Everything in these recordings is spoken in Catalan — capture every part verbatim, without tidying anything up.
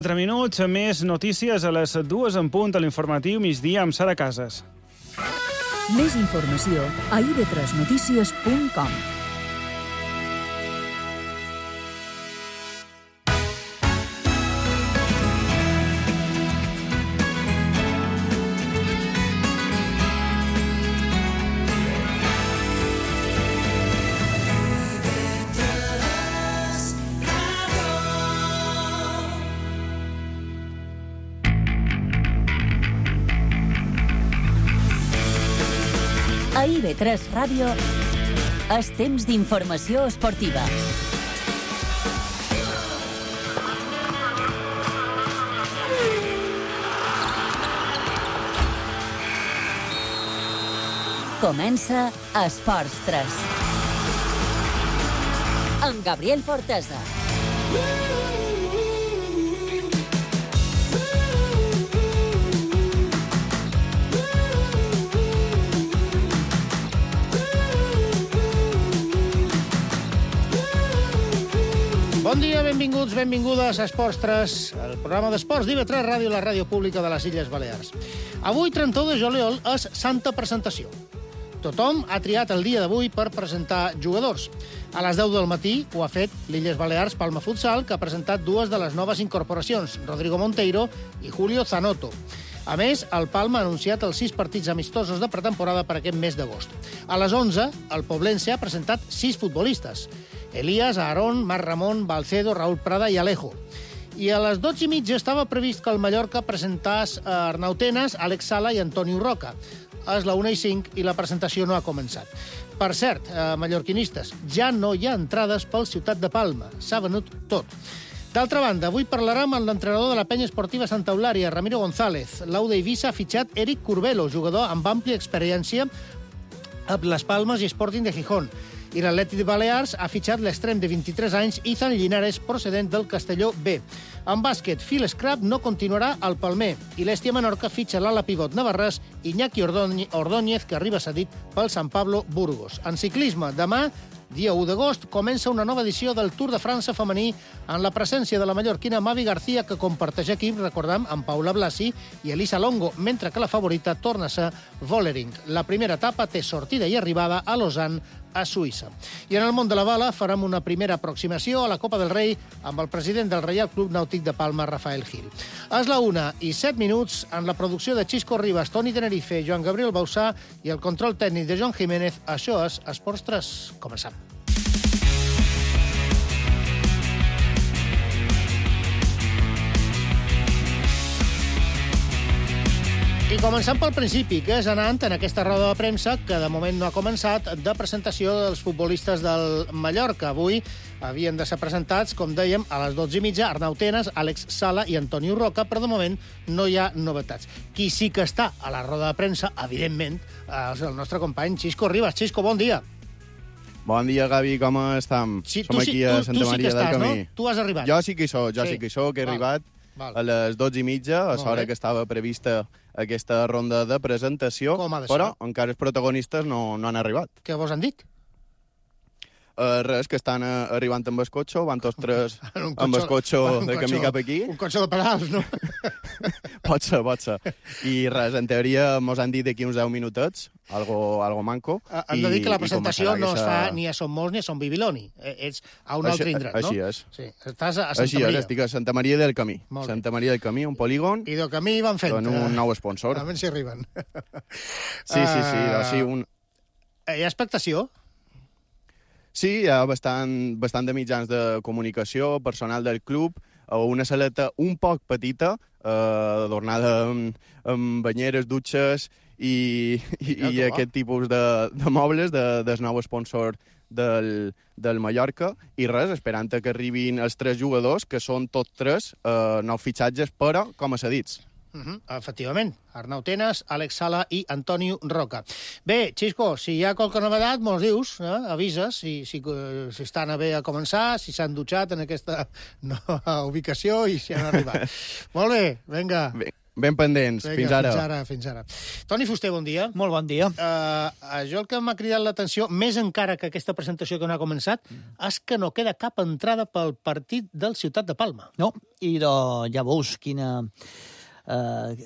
quatre minuts, més notícies a les dues en punt a l'informatiu migdia amb Sara Casas. Més informació a i be tres notícies punt com. A i be tres Ràdio és temps d'informació esportiva. Comença Esports tres. Amb Gabriel Fortesa. Bon dia, benvinguts, benvingudes a Esports tres, el programa d'esports d'I be tres Ràdio, la ràdio pública de les Illes Balears. Avui, trenta-u de juliol, és Santa Presentació. Tothom ha triat el dia d'avui per presentar jugadors. A les deu del matí ho ha fet l'Illes Balears Palma Futsal, que ha presentat dues de les noves incorporacions, Rodrigo Monteiro i Julio Zanotto. A més, el Palma ha anunciat els sis partits amistosos de pretemporada per aquest mes d'agost. A les onze, el Poblense ha presentat sis futbolistes: Elías, Aarón, Marc Ramon, Balcedo, Raúl Prada i Alejo. I a les dotze i mitja estava previst que el Mallorca presentàs Arnau Tenas, Àlex Sala i Antonio Roca. És la una i cinc i la presentació no ha començat. Per cert, eh, mallorquinistes, ja no hi ha entrades pel Ciutat de Palma. S'ha venut tot. D'altra banda, avui parlarem amb l'entrenador de la penya esportiva Santa Eulària, Ramiro González. L'Au d'Eivissa ha fitxat Eric Curbelo, jugador amb àmplia experiència a Les Palmes i Sporting de Gijón. I l'Atlètic de Balears ha fitxat l'extrem de vint-i-tres anys Izan Linares, procedent del Castelló B. En bàsquet, Phil Scrap no continuarà al Palmer i l'Hèstia Menorca fitxa l'ala pivot navarrès Iñaki Ordóñez, que arriba cedit pel San Pablo Burgos. En ciclisme, demà, dia u d'agost, comença una nova edició del Tour de França femení en la presència de la mallorquina Mavi García, que comparteix equip, recordem, amb Paula Blasi i Elisa Longo, mentre que la favorita torna a ser Vollering. La primera etapa té sortida i arribada a Lausanne, a Suïssa. I en el món de la bala farem una primera aproximació a la Copa del Rei amb el president del Reial Club Nàutic de Palma, Rafael Gil. És la una i set minuts, en la producció de Xisco Ribas, Toni Tenerife, Joan Gabriel Bausà i el control tècnic de Joan Jiménez. Això és Esports tres. Comencem. I començant pel principi, que és anant en aquesta roda de premsa, que de moment no ha començat, de presentació dels futbolistes del Mallorca. Avui havien de ser presentats, com dèiem, a les dotze i mitja, Arnau Tenas, Àlex Sala i Antonio Roca, però de moment no hi ha novetats. Qui sí que està a la roda de premsa, evidentment, és el nostre company Xisco Ribas. Xisco, bon dia. Bon dia, Gavi, com estem? Sí, Som sí, aquí a tu, Santa tu sí Maria estàs, del Camí. No? Tu has arribat. Jo sí que hi soc, jo sí, sí que hi soc, he val, arribat val. a les dotze i mitja, a l'hora que estava prevista aquesta ronda de presentació, però encara els protagonistes no, no han arribat. Què vos han dit? Uh, res, que estan uh, arribant amb el cotxe, van tots tres amb el cotxe de camí cap aquí. Un cotxe de pedals, no? Pot ser, pot ser. I res, en teoria mos han dit d'aquí uns deu minutets, algo, algo manco. Uh, hem de dir que la presentació no es fa ni a Son Molts ni a Son Bibiloni. Ets a un altre indret, no? Així és. Sí, estàs a Santa així Maria. És, estic a Santa Maria del Camí. Santa Maria del Camí, un polígon. I del Camí van fent. Con un nou sponsor. A veure si arriben. Sí, sí, sí. Uh, sí un... Hi ha expectació? Sí, hi ha bastant, bastant de mitjans de comunicació, personal del club, una saleta un poc petita, eh, adornada amb, amb banyeres, dutxes i, i, i aquest tipus de, de mobles de, del nou sponsor del, del Mallorca. I res, esperant que arribin els tres jugadors, que són tots tres eh, nous fitxatges, però com a cedits. Uh -huh. Efectivament, Arnau Tenas, Àlex Sala i Antonio Roca. Bé, Xisco, si hi ha qualque novedat, mos dius, eh? Avises si, si, si estan a bé a començar, si s'han dutxat en aquesta nova ubicació i si han arribat. Molt bé, vinga. Bé. ben pendents. Vinga, fins ara. Fins ara, fins ara. Toni Fuster, bon dia. Molt bon dia. Uh, això el que m'ha cridat l'atenció, més encara que aquesta presentació que no ha començat, és que no queda cap entrada pel partit del Ciutat de Palma. No, i de, ja veus quina... Uh,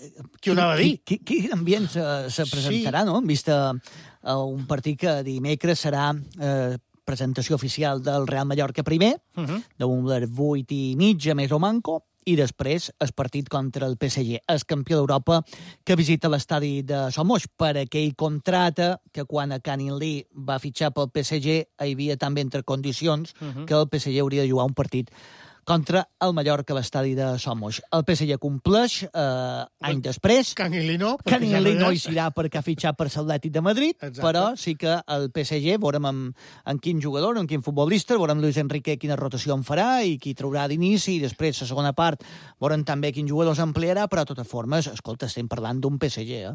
Qui ho anava a dir? Quin, quin ambient se, se presentarà, sí. No? En vista uh, un partit que dimecres serà uh, presentació oficial del Real Mallorca primer, uh -huh. d'un les vuit i mitja més o manco, i després el partit contra el P S G, el campió d'Europa que visita l'estadi de Somos, per aquell contracte que quan a Canin Lee va fitxar pel P S G hi havia també entre condicions uh -huh. que el P S G hauria de jugar un partit contra el Mallorca a l'estadi de Somos. El P S G compleix eh, any després. Canilí no. Canilí no hi serà perquè ha fitxat per l'Atlètic de Madrid, exacte. Però sí que el P S G veurem amb, amb quin jugador, amb quin futbolista, veurem Luis Enrique quina rotació en farà i qui traurà d'inici, i després la segona part veurem també quin jugador s'ampliarà, però de totes formes, escolta, estem parlant d'un P S G, eh?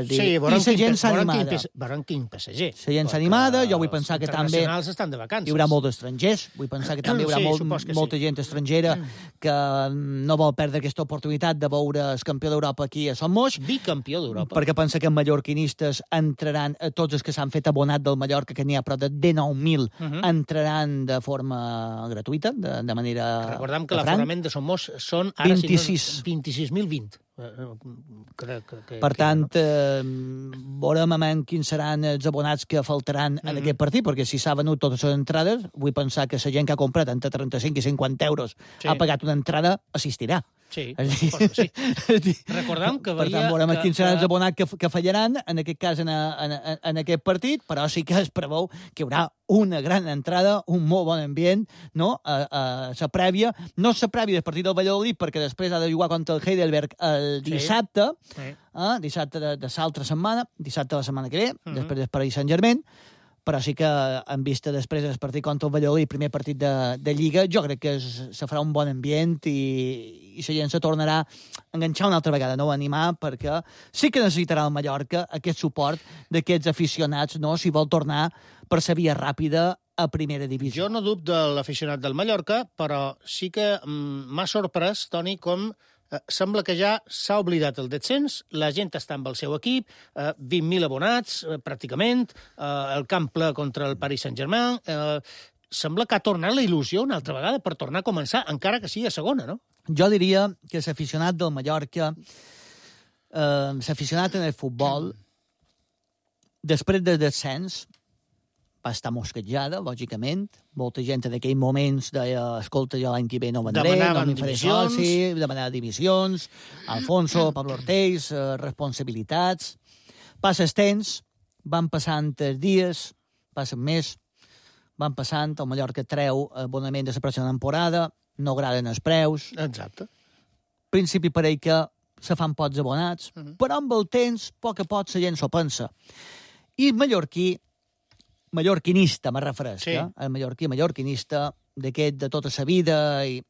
Dir, sí, veurem i la gent s'ha animada. Veurem quin P S G. La gent s'ha animada, jo vull pensar que també estan de vacances. Hi haurà molts estrangers, vull pensar que també hi haurà sí, molt, sí. molta gent estrangera que no vol perdre aquesta oportunitat de veure el campió d'Europa aquí a Somos. Bicampió d'Europa. Perquè pensa que els mallorquinistes entraran, tots els que s'han fet abonat del Mallorca, que n'hi ha prop de dinou mil, uh -huh. entraran de forma gratuïta, de, de manera... Recordem que l'aforament de Somos són ara vint-i-sis si no, vint-i-sis mil vint. Que, que, que, per tant, que, no? eh, veurem amb quins seran els abonats que faltaran mm -hmm. en aquest partit, perquè si s'ha venut totes les entrades, vull pensar que la gent que ha comprat entre trenta-cinc i cinquanta euros sí. ha pagat una entrada, assistirà. Sí, sí. Recordem que per veia... tant, veurem que, quins seran que... els abonats que, que fallaran, en aquest cas, en, en, en aquest partit, però sí que es preveu que hi haurà una gran entrada, un molt bon ambient, no? A, a la prèvia, no la prèvia del partit del Valladolid, perquè després ha de jugar contra el Heidelberg el dissabte, sí. Sí. Eh? dissabte de, de l'altra setmana, dissabte de la setmana que ve, uh -huh. després del Paris Saint-Germain, però sí que en vista després del partit contra el Valladolid, primer partit de, de Lliga, jo crec que es, se farà un bon ambient i, i la gent se tornarà a enganxar una altra vegada, no? A animar, perquè sí que necessitarà el Mallorca aquest suport d'aquests aficionats, no? Si vol tornar per la via ràpida a primera divisió. Jo no dubto de l'aficionat del Mallorca, però sí que m'ha sorprès, Toni, com eh, sembla que ja s'ha oblidat el descens, la gent està amb el seu equip, eh, vint mil abonats, eh, pràcticament, eh, el camp ple contra el Paris Saint-Germain... Eh, sembla que ha tornat la il·lusió una altra vegada per tornar a començar, encara que sigui a segona, no? Jo diria que l'aficionat del Mallorca, eh, l'aficionat en el futbol, després del descens, va estar mosquejada, lògicament. Molta gent en aquells moments deia, escolta, jo l'any que ve no vendré, no m'hi faré soci, demanava dimissions, Alfonso, Pablo Ortiz, eh, responsabilitats. Passa el temps, van passant els dies, passen més, van passant, el Mallorca treu abonament de la pròxima temporada, no agraden els preus. Exacte. Al principi pareix que se fan pocs abonats, uh -huh. però amb el temps, a poc a poc, la gent s'ho pensa. I el mallorquí, mallorquinista, me refereix, sí. eh? El mallorquí, mallorquinista, d'aquest de tota la vida, i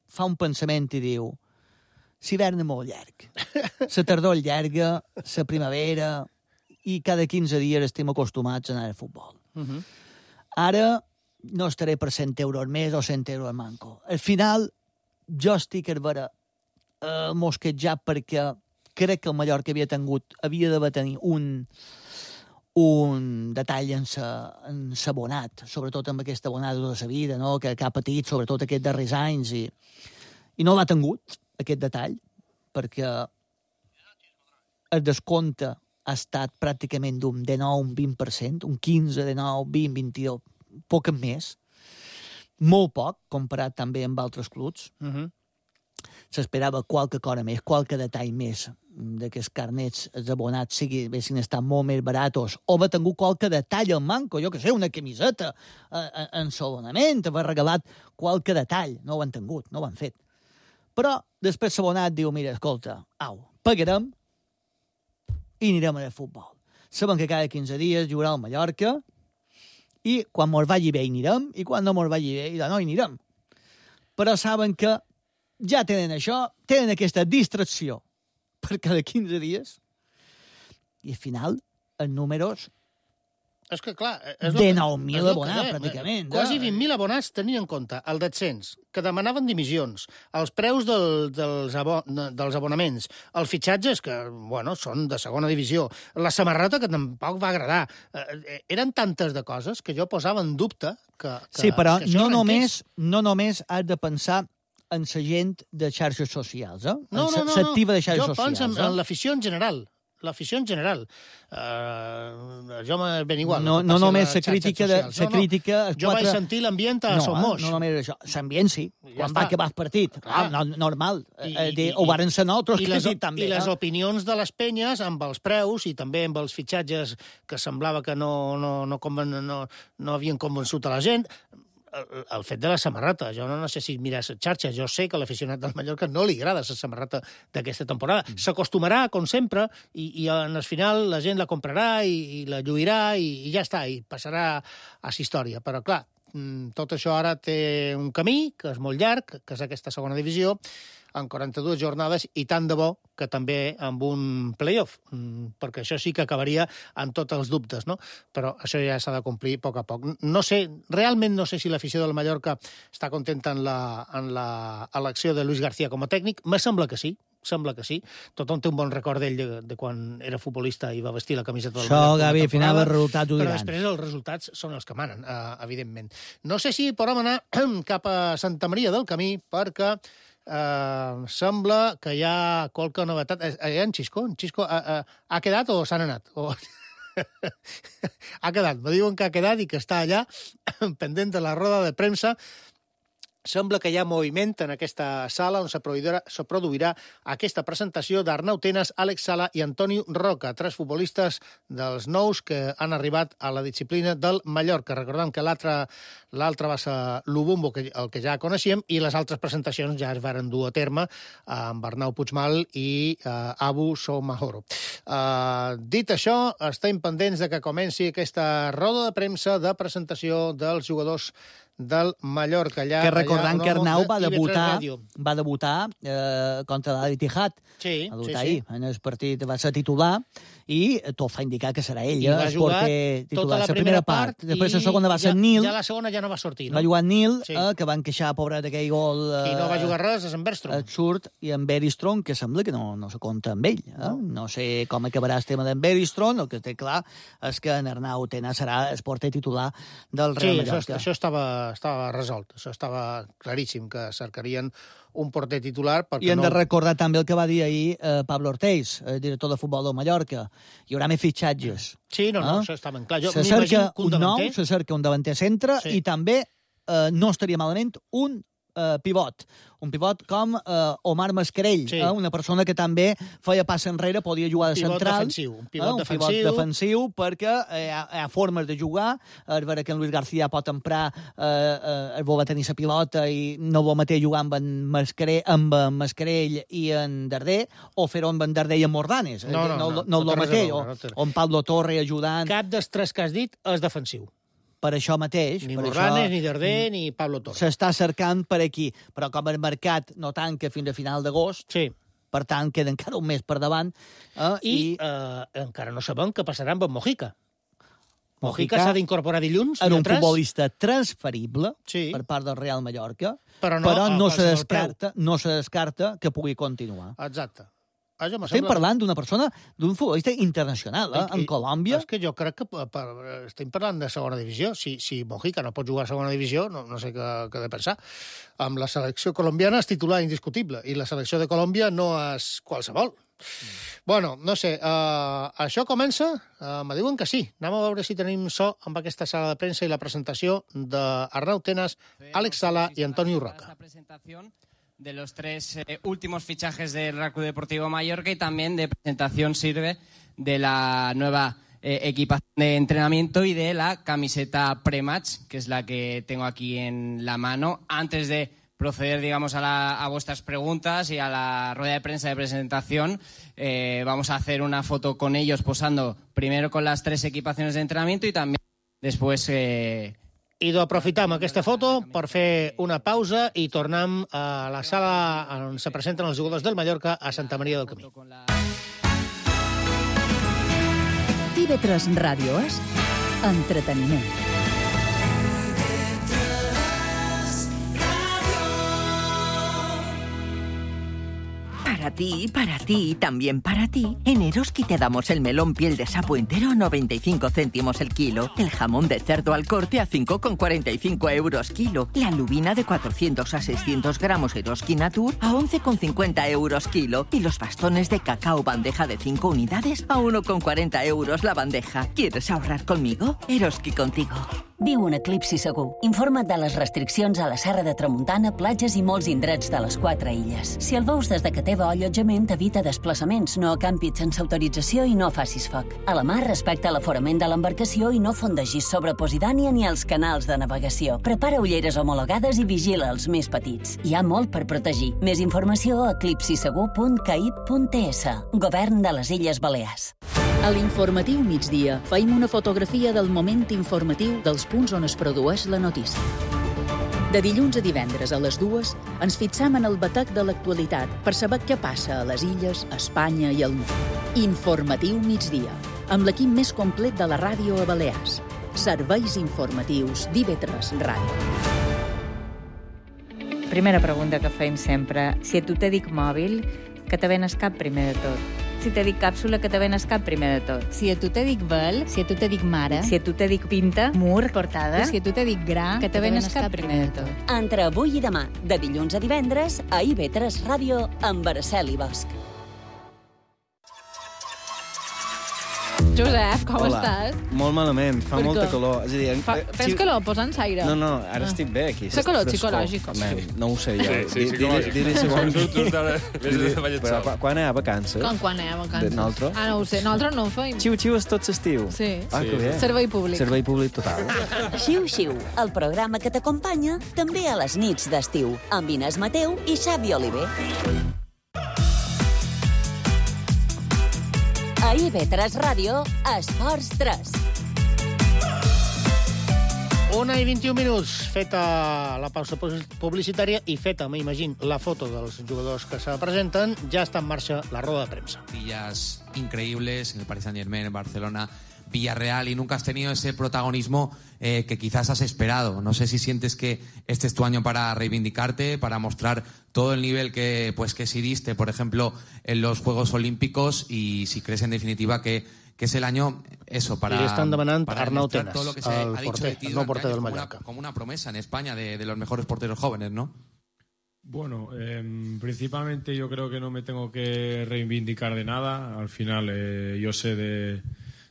fa un pensament i diu, l'hivern és molt llarg, la tardor és llarga, la primavera, i cada quinze dies estem acostumats a anar al futbol. Uh -huh. Ara no estaré per cent euros més o cent euros manco. Al final, jo estic a veure eh, mosquejat perquè crec que el Mallorca havia tingut, havia d'haver tenir un, un detall en s'abonat, sobretot amb aquesta abonada de la vida, no? que, que ha patit, sobretot aquests darrers anys, i, i no l'ha tingut, aquest detall, perquè el descompte ha estat pràcticament d'un dinou, un vint per cent, un quinze, dinou, vint, vint-i-dos, poc més, molt poc, comparat també amb altres clubs. Uh -huh. S'esperava qualque cosa més, qualque detall més, de que els carnets, els abonats, sigui, haguessin estat molt més baratos, o haver tingut qualque detall al manco, jo que sé, una camiseta eh, en l'abonament, haver regalat qualque detall. No ho han tingut, no ho han fet. Però després l'abonat diu, mira, escolta, au, pagarem, i anirem al futbol. Sabem que cada quinze dies jugarà al Mallorca i quan mos vagi bé hi anirem i quan no mos vagi bé no hi anirem. Però saben que ja tenen això, tenen aquesta distracció per cada quinze dies i al final els números És que, clar... És de nou mil abonats, pràcticament. Quasi vint mil abonats tenien en compte el descens, que demanaven dimissions, els preus del, dels, abo, dels abonaments, els fitxatges, que, bueno, són de segona divisió, la samarreta, que tampoc va agradar. Eh, eren tantes de coses que jo posava en dubte que, que sí, però que no només, no només has de pensar en la gent de xarxes socials, eh? No, no, no. S'activa de xarxes jo socials. Jo penso en, eh? en l'afició en general. L'afició en general. Uh, jo m'he ben igual. No, no només la crítica... De, la crítica no, no. Jo vaig sentir l'ambient a no, Somos. No, no només això. L'ambient sí. Ja quan està. Va acabar el partit. Ah, no, normal. I, eh, de, i, ho varen ser nosaltres i que les, sí, també. I les eh? opinions de les penyes amb els preus i també amb els fitxatges que semblava que no, no, no, conven, no, no havien convençut a la gent... El, el fet de la samarreta. Jo no, no sé si mires xarxes. Jo sé que a l'aficionat del Mallorca no li agrada la samarreta d'aquesta temporada. Mm. S'acostumarà, com sempre, i, i en el final la gent la comprarà i, i la lluirà i, i ja està, i passarà a la història. Però, clar, tot això ara té un camí, que és molt llarg, que és aquesta segona divisió, en quaranta-dues jornades, i tant de bo que també amb un play-off, perquè això sí que acabaria amb tots els dubtes, no? Però això ja s'ha de complir a poc a poc. No sé, realment no sé si l'afició del Mallorca està contenta en la, en la elecció de Luis García com a tècnic. Me sembla que sí, sembla que sí. Tothom té un bon record d'ell de, de quan era futbolista i va vestir la camiseta del Mallorca. Això, Gavi, al final els resultats ho diran. Però després els resultats són els que manen, eh, evidentment. No sé si podem anar cap a Santa Maria del Camí, perquè Uh, sembla que hi ha qualque novetat. Hi ha en Xisco? En Xisco ha, ha, ha quedat o s'han anat? O... ha quedat. Me diuen que ha quedat i que està allà pendent de la roda de premsa. Sembla que hi ha moviment en aquesta sala on se produirà, se produirà aquesta presentació d'Arnau Tenas, Àlex Sala i Antonio Roca, tres futbolistes dels nous que han arribat a la disciplina del Mallorca. Recordem que l'altre l'altre va ser l'Ubumbo, que, el que ja coneixíem, i les altres presentacions ja es varen dur a terme amb Arnau Puigmal i uh, Abu Soumahoro. Uh, dit això, estem pendents de que comenci aquesta roda de premsa de presentació dels jugadors del Mallorca. Allà, que recordant allà, que Arnau va de debutar, va debutar eh, contra l'Al-Ittihad. Sí, va sí, debutar sí. ahir. En el partit va ser titular i tot fa indicar que serà ell. I va jugar tota la primera part, part després i la segona va ser ja, Nil. Ja la segona ja no va sortir, no? Va jugar Nil, sí. eh, que van queixar, pobret, aquell gol... Eh, Qui no va jugar res és en Bergström. Absurd, i en Bergström, que sembla que no, no se compta amb ell. Eh? No. no sé com acabarà el tema d'en Bergström, el que té clar és que en Arnau Tenas serà el porter titular del Real sí, Mallorca. Sí, això, això estava, estava resolt. Això estava claríssim, que cercarien un porter titular. I hem no... de recordar també el que va dir ahir eh, Pablo Ortiz, el director de futbol del Mallorca. Hi haurà més fitxatges. Sí, no, no, eh? això està ben clar. Jo se cerca un, un nou, se cerca un davanter centre, sí. I també eh, no estaria malament un eh, pivot. Un pivot com eh, Omar Mascarell, sí. eh, una persona que també feia pas enrere, podia jugar de pivot central. Defensiu, un pivot eh, un defensiu. pivot defensiu, perquè eh, hi, ha, hi ha formes de jugar. A veure que en Luis García pot emprar, eh, eh, el va tenir la pilota i no vol mateix jugar amb en Mascarell, amb en Mascarell i en Darder, o fer-ho amb en Darder i en Mordanes. No, no, no. no, no, no, no mateix. O, o en Pablo Torre ajudant. Cap dels tres que has dit és defensiu. Per això mateix. Ni per Morranes, això, ni Darder, ni Pablo Torres. S'està cercant per aquí, però com el mercat no tanca fins a final d'agost, sí. Per tant, queda encara un mes per davant. Eh, I, i... Eh, encara no sabem què passarà amb en Mojica. Mojica, Mojica s'ha d'incorporar dilluns. Era un futbolista transferible sí. per part del Real Mallorca, però no, però no, se descarta, no se descarta que pugui continuar. Exacte. Ah, Estem sembla... parlant d'una persona, d'un futbolista internacional, eh? En Colòmbia. És que jo crec que per, per, estem parlant de segona divisió. Si, si Mojica no pot jugar a segona divisió, no, no sé què, què he de pensar. Amb la selecció colombiana és titular indiscutible, i la selecció de Colòmbia no és qualsevol. Mm. Bueno, no sé, uh, això comença? Uh, me diuen que sí. Anem a veure si tenim so amb aquesta sala de premsa i la presentació d'Arnau Tenas, Àlex Sala i Antonio Roca. De los tres eh, últimos fichajes del Real Club Deportivo Mallorca, y también de presentación sirve de la nueva eh, equipación de entrenamiento y de la camiseta pre-match, que es la que tengo aquí en la mano. Antes de proceder, digamos, a, la, a vuestras preguntas y a la rueda de prensa de presentación, eh, vamos a hacer una foto con ellos posando primero con las tres equipaciones de entrenamiento y también después... Eh, I d'aprofitar aquesta foto per fer una pausa i tornem a la sala on se presenten els jugadors del Mallorca a Santa Maria del Camí. T V tres Ràdio és Entreteniment. Para ti, para ti y también para ti, en Eroski te damos el melón piel de sapo entero a noventa y cinco céntimos el kilo, el jamón de cerdo al corte a cinco con cuarenta y cinco euros kilo, la lubina de cuatrocientos a seiscientos gramos Eroski Natur a once con cincuenta euros kilo y los bastones de cacao bandeja de cinco unidades a uno con cuarenta euros la bandeja. ¿Quieres ahorrar conmigo? Eroski contigo. Viu un eclipsi segur. Informa't de les restriccions a la Serra de Tramuntana, platges i molts indrets de les quatre illes. Si el veus des de que teva allotjament, evita desplaçaments, no acampis sense autorització i no facis foc. A la mar, respecta l'aforament de l'embarcació i no fondegis sobre Posidània ni els canals de navegació. Prepara ulleres homologades i vigila els més petits. Hi ha molt per protegir. Més informació a eclipsisegur punt caib punt es. Govern de les Illes Balears. A l'informatiu migdia feim una fotografia del moment informatiu dels punts on es produeix la notícia. De dilluns a divendres a les dues ens fixam en el batec de l'actualitat per saber què passa a les illes, a Espanya i al món. Informatiu migdia, amb l'equip més complet de la ràdio a Balears. Serveis informatius d'I V tres Ràdio. Primera pregunta que feim sempre. Si a tu te dic mòbil, que te ven al cap primer de tot? Si te dic càpsula, que te ven al cap primer de tot? Si a tu te dic vel, si a tu te dic mare, si a tu te dic pinta, mur, portada, si a tu te dic gra, que te ven al cap primer de tot? Entre avui i demà, de dilluns a divendres, a I V tres Ràdio, amb Araceli Bosch. Josep, com Hola. estàs? Molt malament, fa Per molta què? calor. És a dir, Fa, tens calor, posa'ns aire. No, no, ara Ah. estic bé aquí. Fa calor Frescor. psicològic. Man, no ho sé jo. Sí, sí, Di- psicològic. diré- diré segon. Just- just ara, vés de ballet Però sol. quan- quan hi ha vacances? Com quan hi ha vacances? De nosaltres? Ah, no ho sé. Nosaltres no ho feim. Xiu-xiu és tot l'estiu. Sí. Ah, que bé. Servei públic. Servei públic total. Xiu-xiu, el programa que t'acompanya també a les nits d'estiu, amb Inés Mateu i Xavi Oliver. A I V tres Ràdio, Esports tres. Una i vint-i-un minuts, feta la pausa publicitària i feta, m'imagino, la foto dels jugadors que se presenten, ja està en marxa la roda de premsa. Días increíbles en el Paris Saint-Germain, en Barcelona, Villarreal, y nunca has tenido ese protagonismo eh, que quizás has esperado. No sé si sientes que este es tu año para reivindicarte, para mostrar todo el nivel que, pues, que sí diste, por ejemplo, en los Juegos Olímpicos, y si crees en definitiva que, que es el año, eso, para, I li estan demanant para Arnau demostrar Tenas, todo lo que se el ha dicho porter, de ti el nou durante porter del años como una, Mallorca. como una promesa en España de, de los mejores porteros jóvenes, ¿no? Bueno, eh, principalmente yo creo que no me tengo que reivindicar de nada. Al final eh, yo sé de,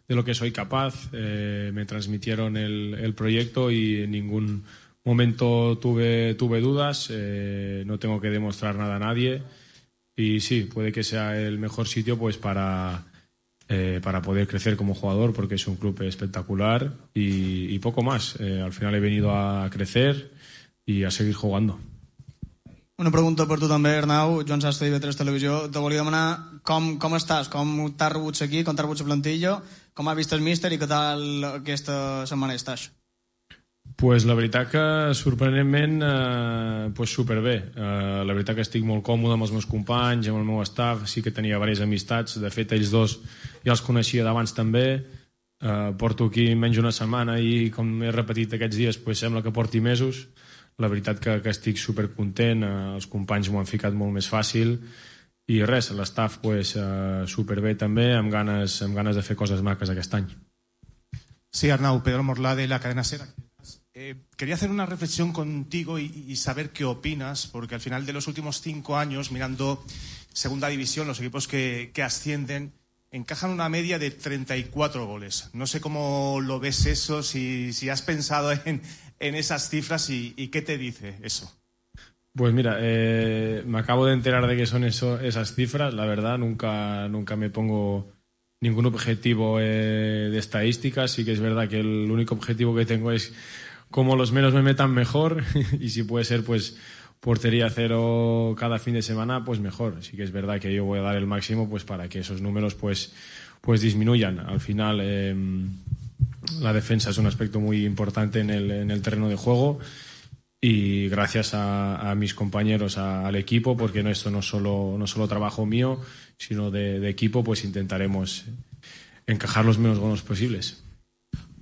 de lo que soy capaz. Eh, me transmitieron el, el proyecto y en ningún momento tuve, tuve dudas. Eh, no tengo que demostrar nada a nadie. Y sí, puede que sea el mejor sitio pues para, eh, para poder crecer como jugador, porque es un club espectacular y, y poco más. Eh, al final he venido a crecer y a seguir jugando. Una pregunta per tu també, Arnau. Joan Sastre, I V tres Televisió. Te volia demanar com, com estàs, com t'has rebut aquí, com t'has rebut la plantilla, com ha vist el míster i què tal aquesta setmana estàs? Pues la veritat que sorprenentment eh, pues superbé. Eh, la veritat que estic molt còmode amb els meus companys, amb el meu staff, sí que tenia diverses amistats, de fet ells dos ja els coneixia d'abans també. Eh, porto aquí menys una setmana i com he repetit aquests dies pues sembla que porti mesos. La veritat que, que estic supercontent, eh, els companys m'ho han ficat molt més fàcil i res, l'staff pues, eh, superbé també, amb ganes, amb ganes de fer coses maques aquest any. Sí, Arnau, Pedro Morlá de la cadena SER. Eh, quería hacer una reflexión contigo y, y saber qué opinas, porque al final de los últimos cinco años, mirando Segunda División, los equipos que, que ascienden, encajan una media de treinta y cuatro goles. No sé cómo lo ves eso, si, si has pensado en, en esas cifras y, y qué te dice eso. Pues mira, eh, me acabo de enterar de que son eso, esas cifras. La verdad, nunca, nunca me pongo ningún objetivo eh, de estadísticas. Sí que es verdad que el único objetivo que tengo es como los menos me metan mejor y si puede ser pues portería cero cada fin de semana, pues mejor. Sí que es verdad que yo voy a dar el máximo pues para que esos números pues, pues disminuyan. Al final eh, la defensa es un aspecto muy importante en el, en el terreno de juego y gracias a, a mis compañeros, a, al equipo, porque no, esto no es solo, no solo trabajo mío, sino de, de equipo, pues intentaremos encajar los menos goles posibles.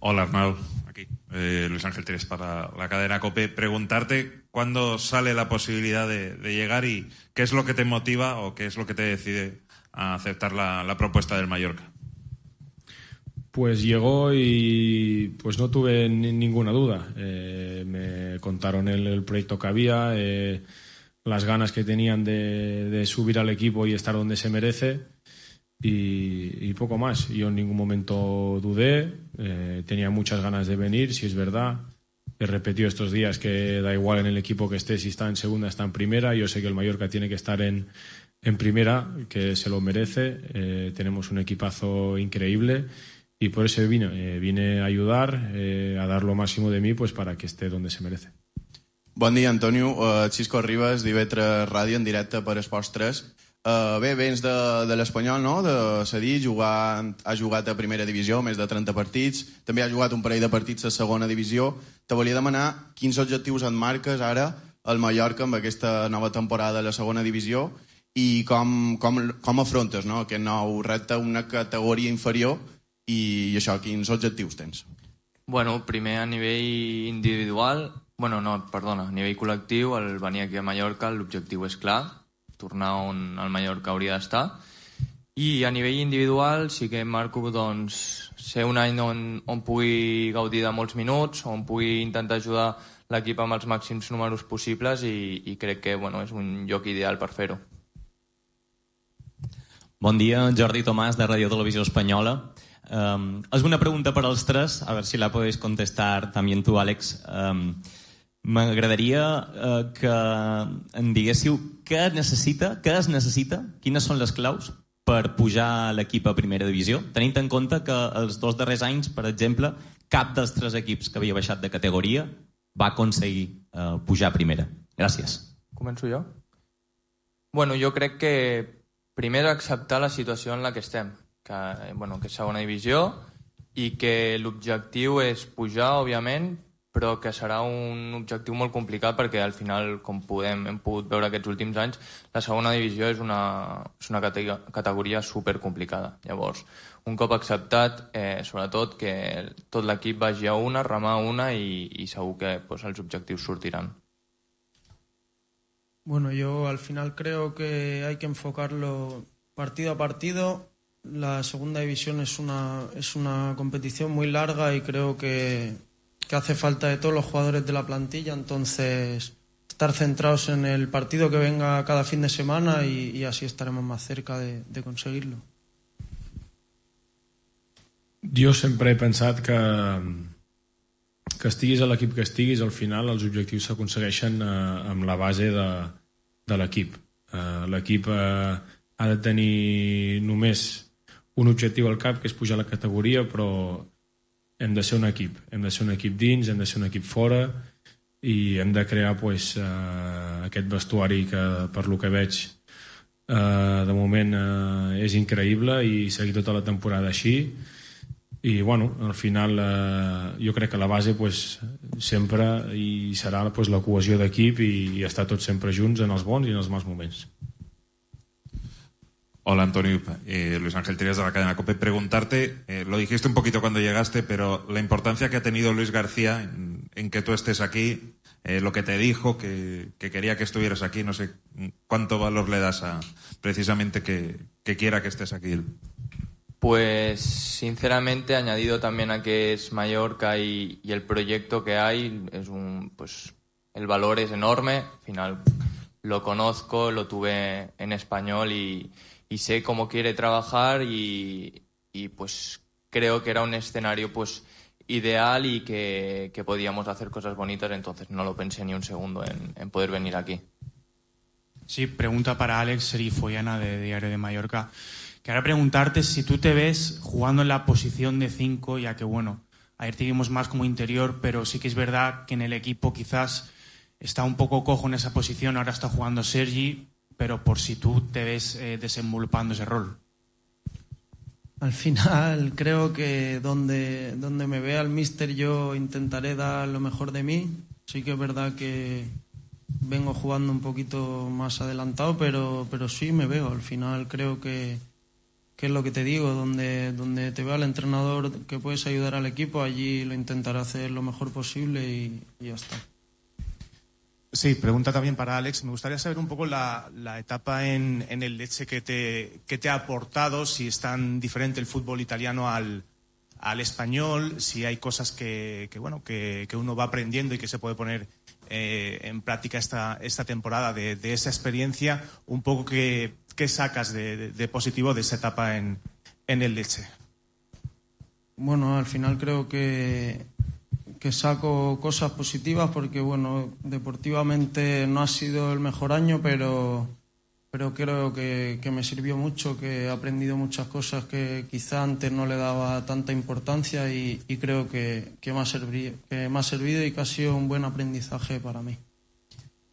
Hola, Arnau. Aquí, eh, Luis Ángel Tires para la cadena COPE. Preguntarte cuándo sale la posibilidad de, de llegar y qué es lo que te motiva o qué es lo que te decide a aceptar la, la propuesta del Mallorca. Pues llegó y pues no tuve ni, ninguna duda. Eh, me contaron el, el proyecto que había, eh, las ganas que tenían de, de subir al equipo y estar donde se merece y, y poco más. Yo en ningún momento dudé, eh, tenía muchas ganas de venir, si es verdad. He repetido estos días que da igual en el equipo que esté, si está en segunda, está en primera. Yo sé que el Mallorca tiene que estar en, en primera, que se lo merece. Eh, tenemos un equipazo increíble. Y por eso vine, eh, vine a ayudar, eh, a dar lo máximo de mí pues, para que esté donde se merece. Bon dia, Antonio. Uh, Xisco Ribas, d'I V tres Ràdio, en directe per Esports tres. Uh, bé, vens de, de l'Espanyol, no?, de cedir, jugar, ha jugat a primera divisió, més de trenta partits, també ha jugat un parell de partits a segona divisió. Te volia demanar quins objectius et marques ara al Mallorca amb aquesta nova temporada a la segona divisió i com, com, com afrontes, no?, aquest nou repte, una categoria inferior. I això, quins objectius tens? Bueno, primer a nivell individual, bueno, no, perdona, a nivell col·lectiu, al venir aquí a Mallorca l'objectiu és clar, tornar on el Mallorca hauria d'estar. I a nivell individual sí que marco doncs, ser un any on, on pugui gaudir de molts minuts, on pugui intentar ajudar l'equip amb els màxims números possibles i, i crec que bueno, és un lloc ideal per fer-ho. Bon dia, Jordi Tomàs, de Radio Televisió Espanyola. Um, és una pregunta per als tres, a ver si la podéis contestar también tú, Àlex. Um, M'agradaria uh, que em diguéssiu què necessita, què es necessita, quines són les claus per pujar l'equip a primera divisió, tenint en compte que els dos darrers anys, per exemple, cap dels tres equips que havia baixat de categoria va aconseguir uh, pujar a primera. Gràcies. Començo jo? Bueno, jo crec que primer acceptar la situació en la que estem, que, bueno, que és segona divisió i que l'objectiu és pujar, òbviament, però que serà un objectiu molt complicat perquè al final, com podem, hem pogut veure aquests últims anys, la segona divisió és una, és una categoria supercomplicada. Llavors, un cop acceptat, eh, sobretot que tot l'equip vagi a una, remar a una i, i segur que pues, els objectius sortiran. Bueno, yo al final creo que hay que enfocarlo partido a partido. La segunda división es una, es una competición muy larga y creo que, que hace falta de todos los jugadores de la plantilla, entonces estar centrados en el partido que venga cada fin de semana y, y así estaremos más cerca de, de conseguirlo. Jo sempre he pensat que, que estiguis a l'equip que estiguis, al final els objectius s'aconsegueixen eh, amb la base de, de l'equip. Eh, l'equip eh, ha de tenir només un objectiu al cap, que és pujar a la categoria, però hem de ser un equip. Hem de ser un equip dins, hem de ser un equip fora i hem de crear pues, eh, aquest vestuari que, per lo que veig, eh, de moment eh, és increïble i seguir tota la temporada així. I, bueno, al final eh, jo crec que la base pues, sempre hi serà pues, la cohesió d'equip i, i estar tots sempre junts en els bons i en els mals moments. Hola, Antonio. Eh, Luis Ángel Tires de la cadena COPE. Preguntarte, eh, lo dijiste un poquito cuando llegaste, pero la importancia que ha tenido Luis García en, en que tú estés aquí, eh, lo que te dijo, que, que quería que estuvieras aquí, no sé cuánto valor le das a precisamente que, que quiera que estés aquí. Pues sinceramente, añadido también a que es Mallorca y, y el proyecto que hay, es un, pues el valor es enorme. Al final lo conozco, lo tuve en español y y sé cómo quiere trabajar y, y pues creo que era un escenario pues ideal y que, que podíamos hacer cosas bonitas, entonces no lo pensé ni un segundo en, en poder venir aquí. Sí, pregunta para Alex Serifoyana de Diario de Mallorca. Quería preguntarte si tú te ves jugando en la posición de cinco, ya que bueno, ayer te vimos más como interior, pero sí que es verdad que en el equipo quizás está un poco cojo en esa posición, ahora está jugando Sergi, pero por si tú te ves eh, desenvolupando ese rol. Al final creo que donde, donde me vea el míster yo intentaré dar lo mejor de mí. Sí que es verdad que vengo jugando un poquito más adelantado, pero, pero sí me veo. Al final creo que, que es lo que te digo, donde, donde te vea el entrenador que puedes ayudar al equipo, allí lo intentaré hacer lo mejor posible y, y ya está. Sí, pregunta también para Alex. Me gustaría saber un poco la, la etapa en, en el Lecce que te, que te ha aportado, si es tan diferente el fútbol italiano al, al español, si hay cosas que, que, bueno, que, que uno va aprendiendo y que se puede poner eh, en práctica esta, esta temporada de, de esa experiencia, un poco que... ¿Qué sacas de, de, de positivo de esa etapa en, en el Lecce? Bueno, al final creo que, que saco cosas positivas porque, bueno, deportivamente no ha sido el mejor año, pero, pero creo que, que me sirvió mucho, que he aprendido muchas cosas que quizá antes no le daba tanta importancia y, y creo que, que, me ha servido, que me ha servido y que ha sido un buen aprendizaje para mí.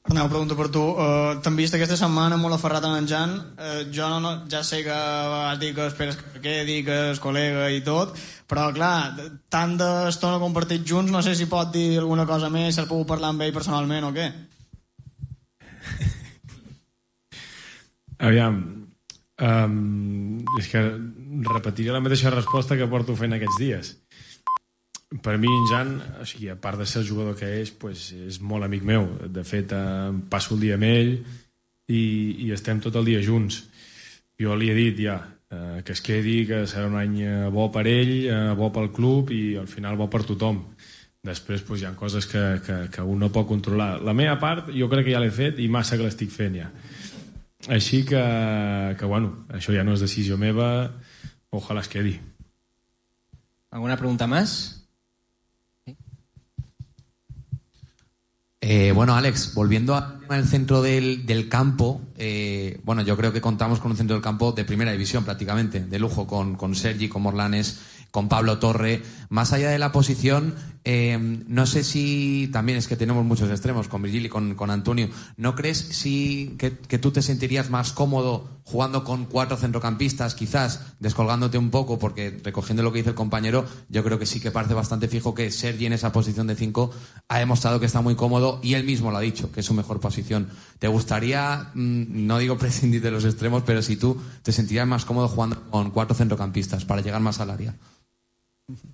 Arnau, pregunto per tu. Uh, T'hem vist aquesta setmana molt aferrat en en Jan. Uh, jo no, ja sé que vas dir que esperes que quedi, que és col·lega i tot, però clar, tant d'estona compartit junts, no sé si pot dir alguna cosa més, si has pogut parlar amb ell personalment o què. Aviam, um, és que repetiré la mateixa resposta que porto fent aquests dies. Per mi, en Jan, o sigui, a part de ser el jugador que és, pues, és molt amic meu. De fet, eh, passo el dia amb ell i, i estem tot el dia junts. Jo li he dit ja eh, que es quedi, que serà un any bo per ell, eh, bo pel club i al final bo per tothom. Després pues, hi ha coses que, que, que un no pot controlar. La meva part jo crec que ja l'he fet i massa que l'estic fent ja. Així que, que bueno, això ja no és decisió meva, ojalà es quedi. ¿Alguna pregunta más? Eh, bueno, Alex, volviendo al tema del centro del, del campo, eh, bueno, yo creo que contamos con un centro del campo de primera división prácticamente, de lujo, con, con Sergi, con Morlanes, con Pablo Torre. Más allá de la posición, eh, no sé si también es que tenemos muchos extremos, con Virgil y con, con Antonio. ¿No crees si que, que tú te sentirías más cómodo jugando con cuatro centrocampistas, quizás descolgándote un poco? Porque recogiendo lo que dice el compañero, yo creo que sí que parece bastante fijo que Sergi en esa posición de cinco ha demostrado que está muy cómodo y él mismo lo ha dicho, que es su mejor posición. ¿Te gustaría, no digo prescindir de los extremos, pero si tú te sentirías más cómodo jugando con cuatro centrocampistas para llegar más al área?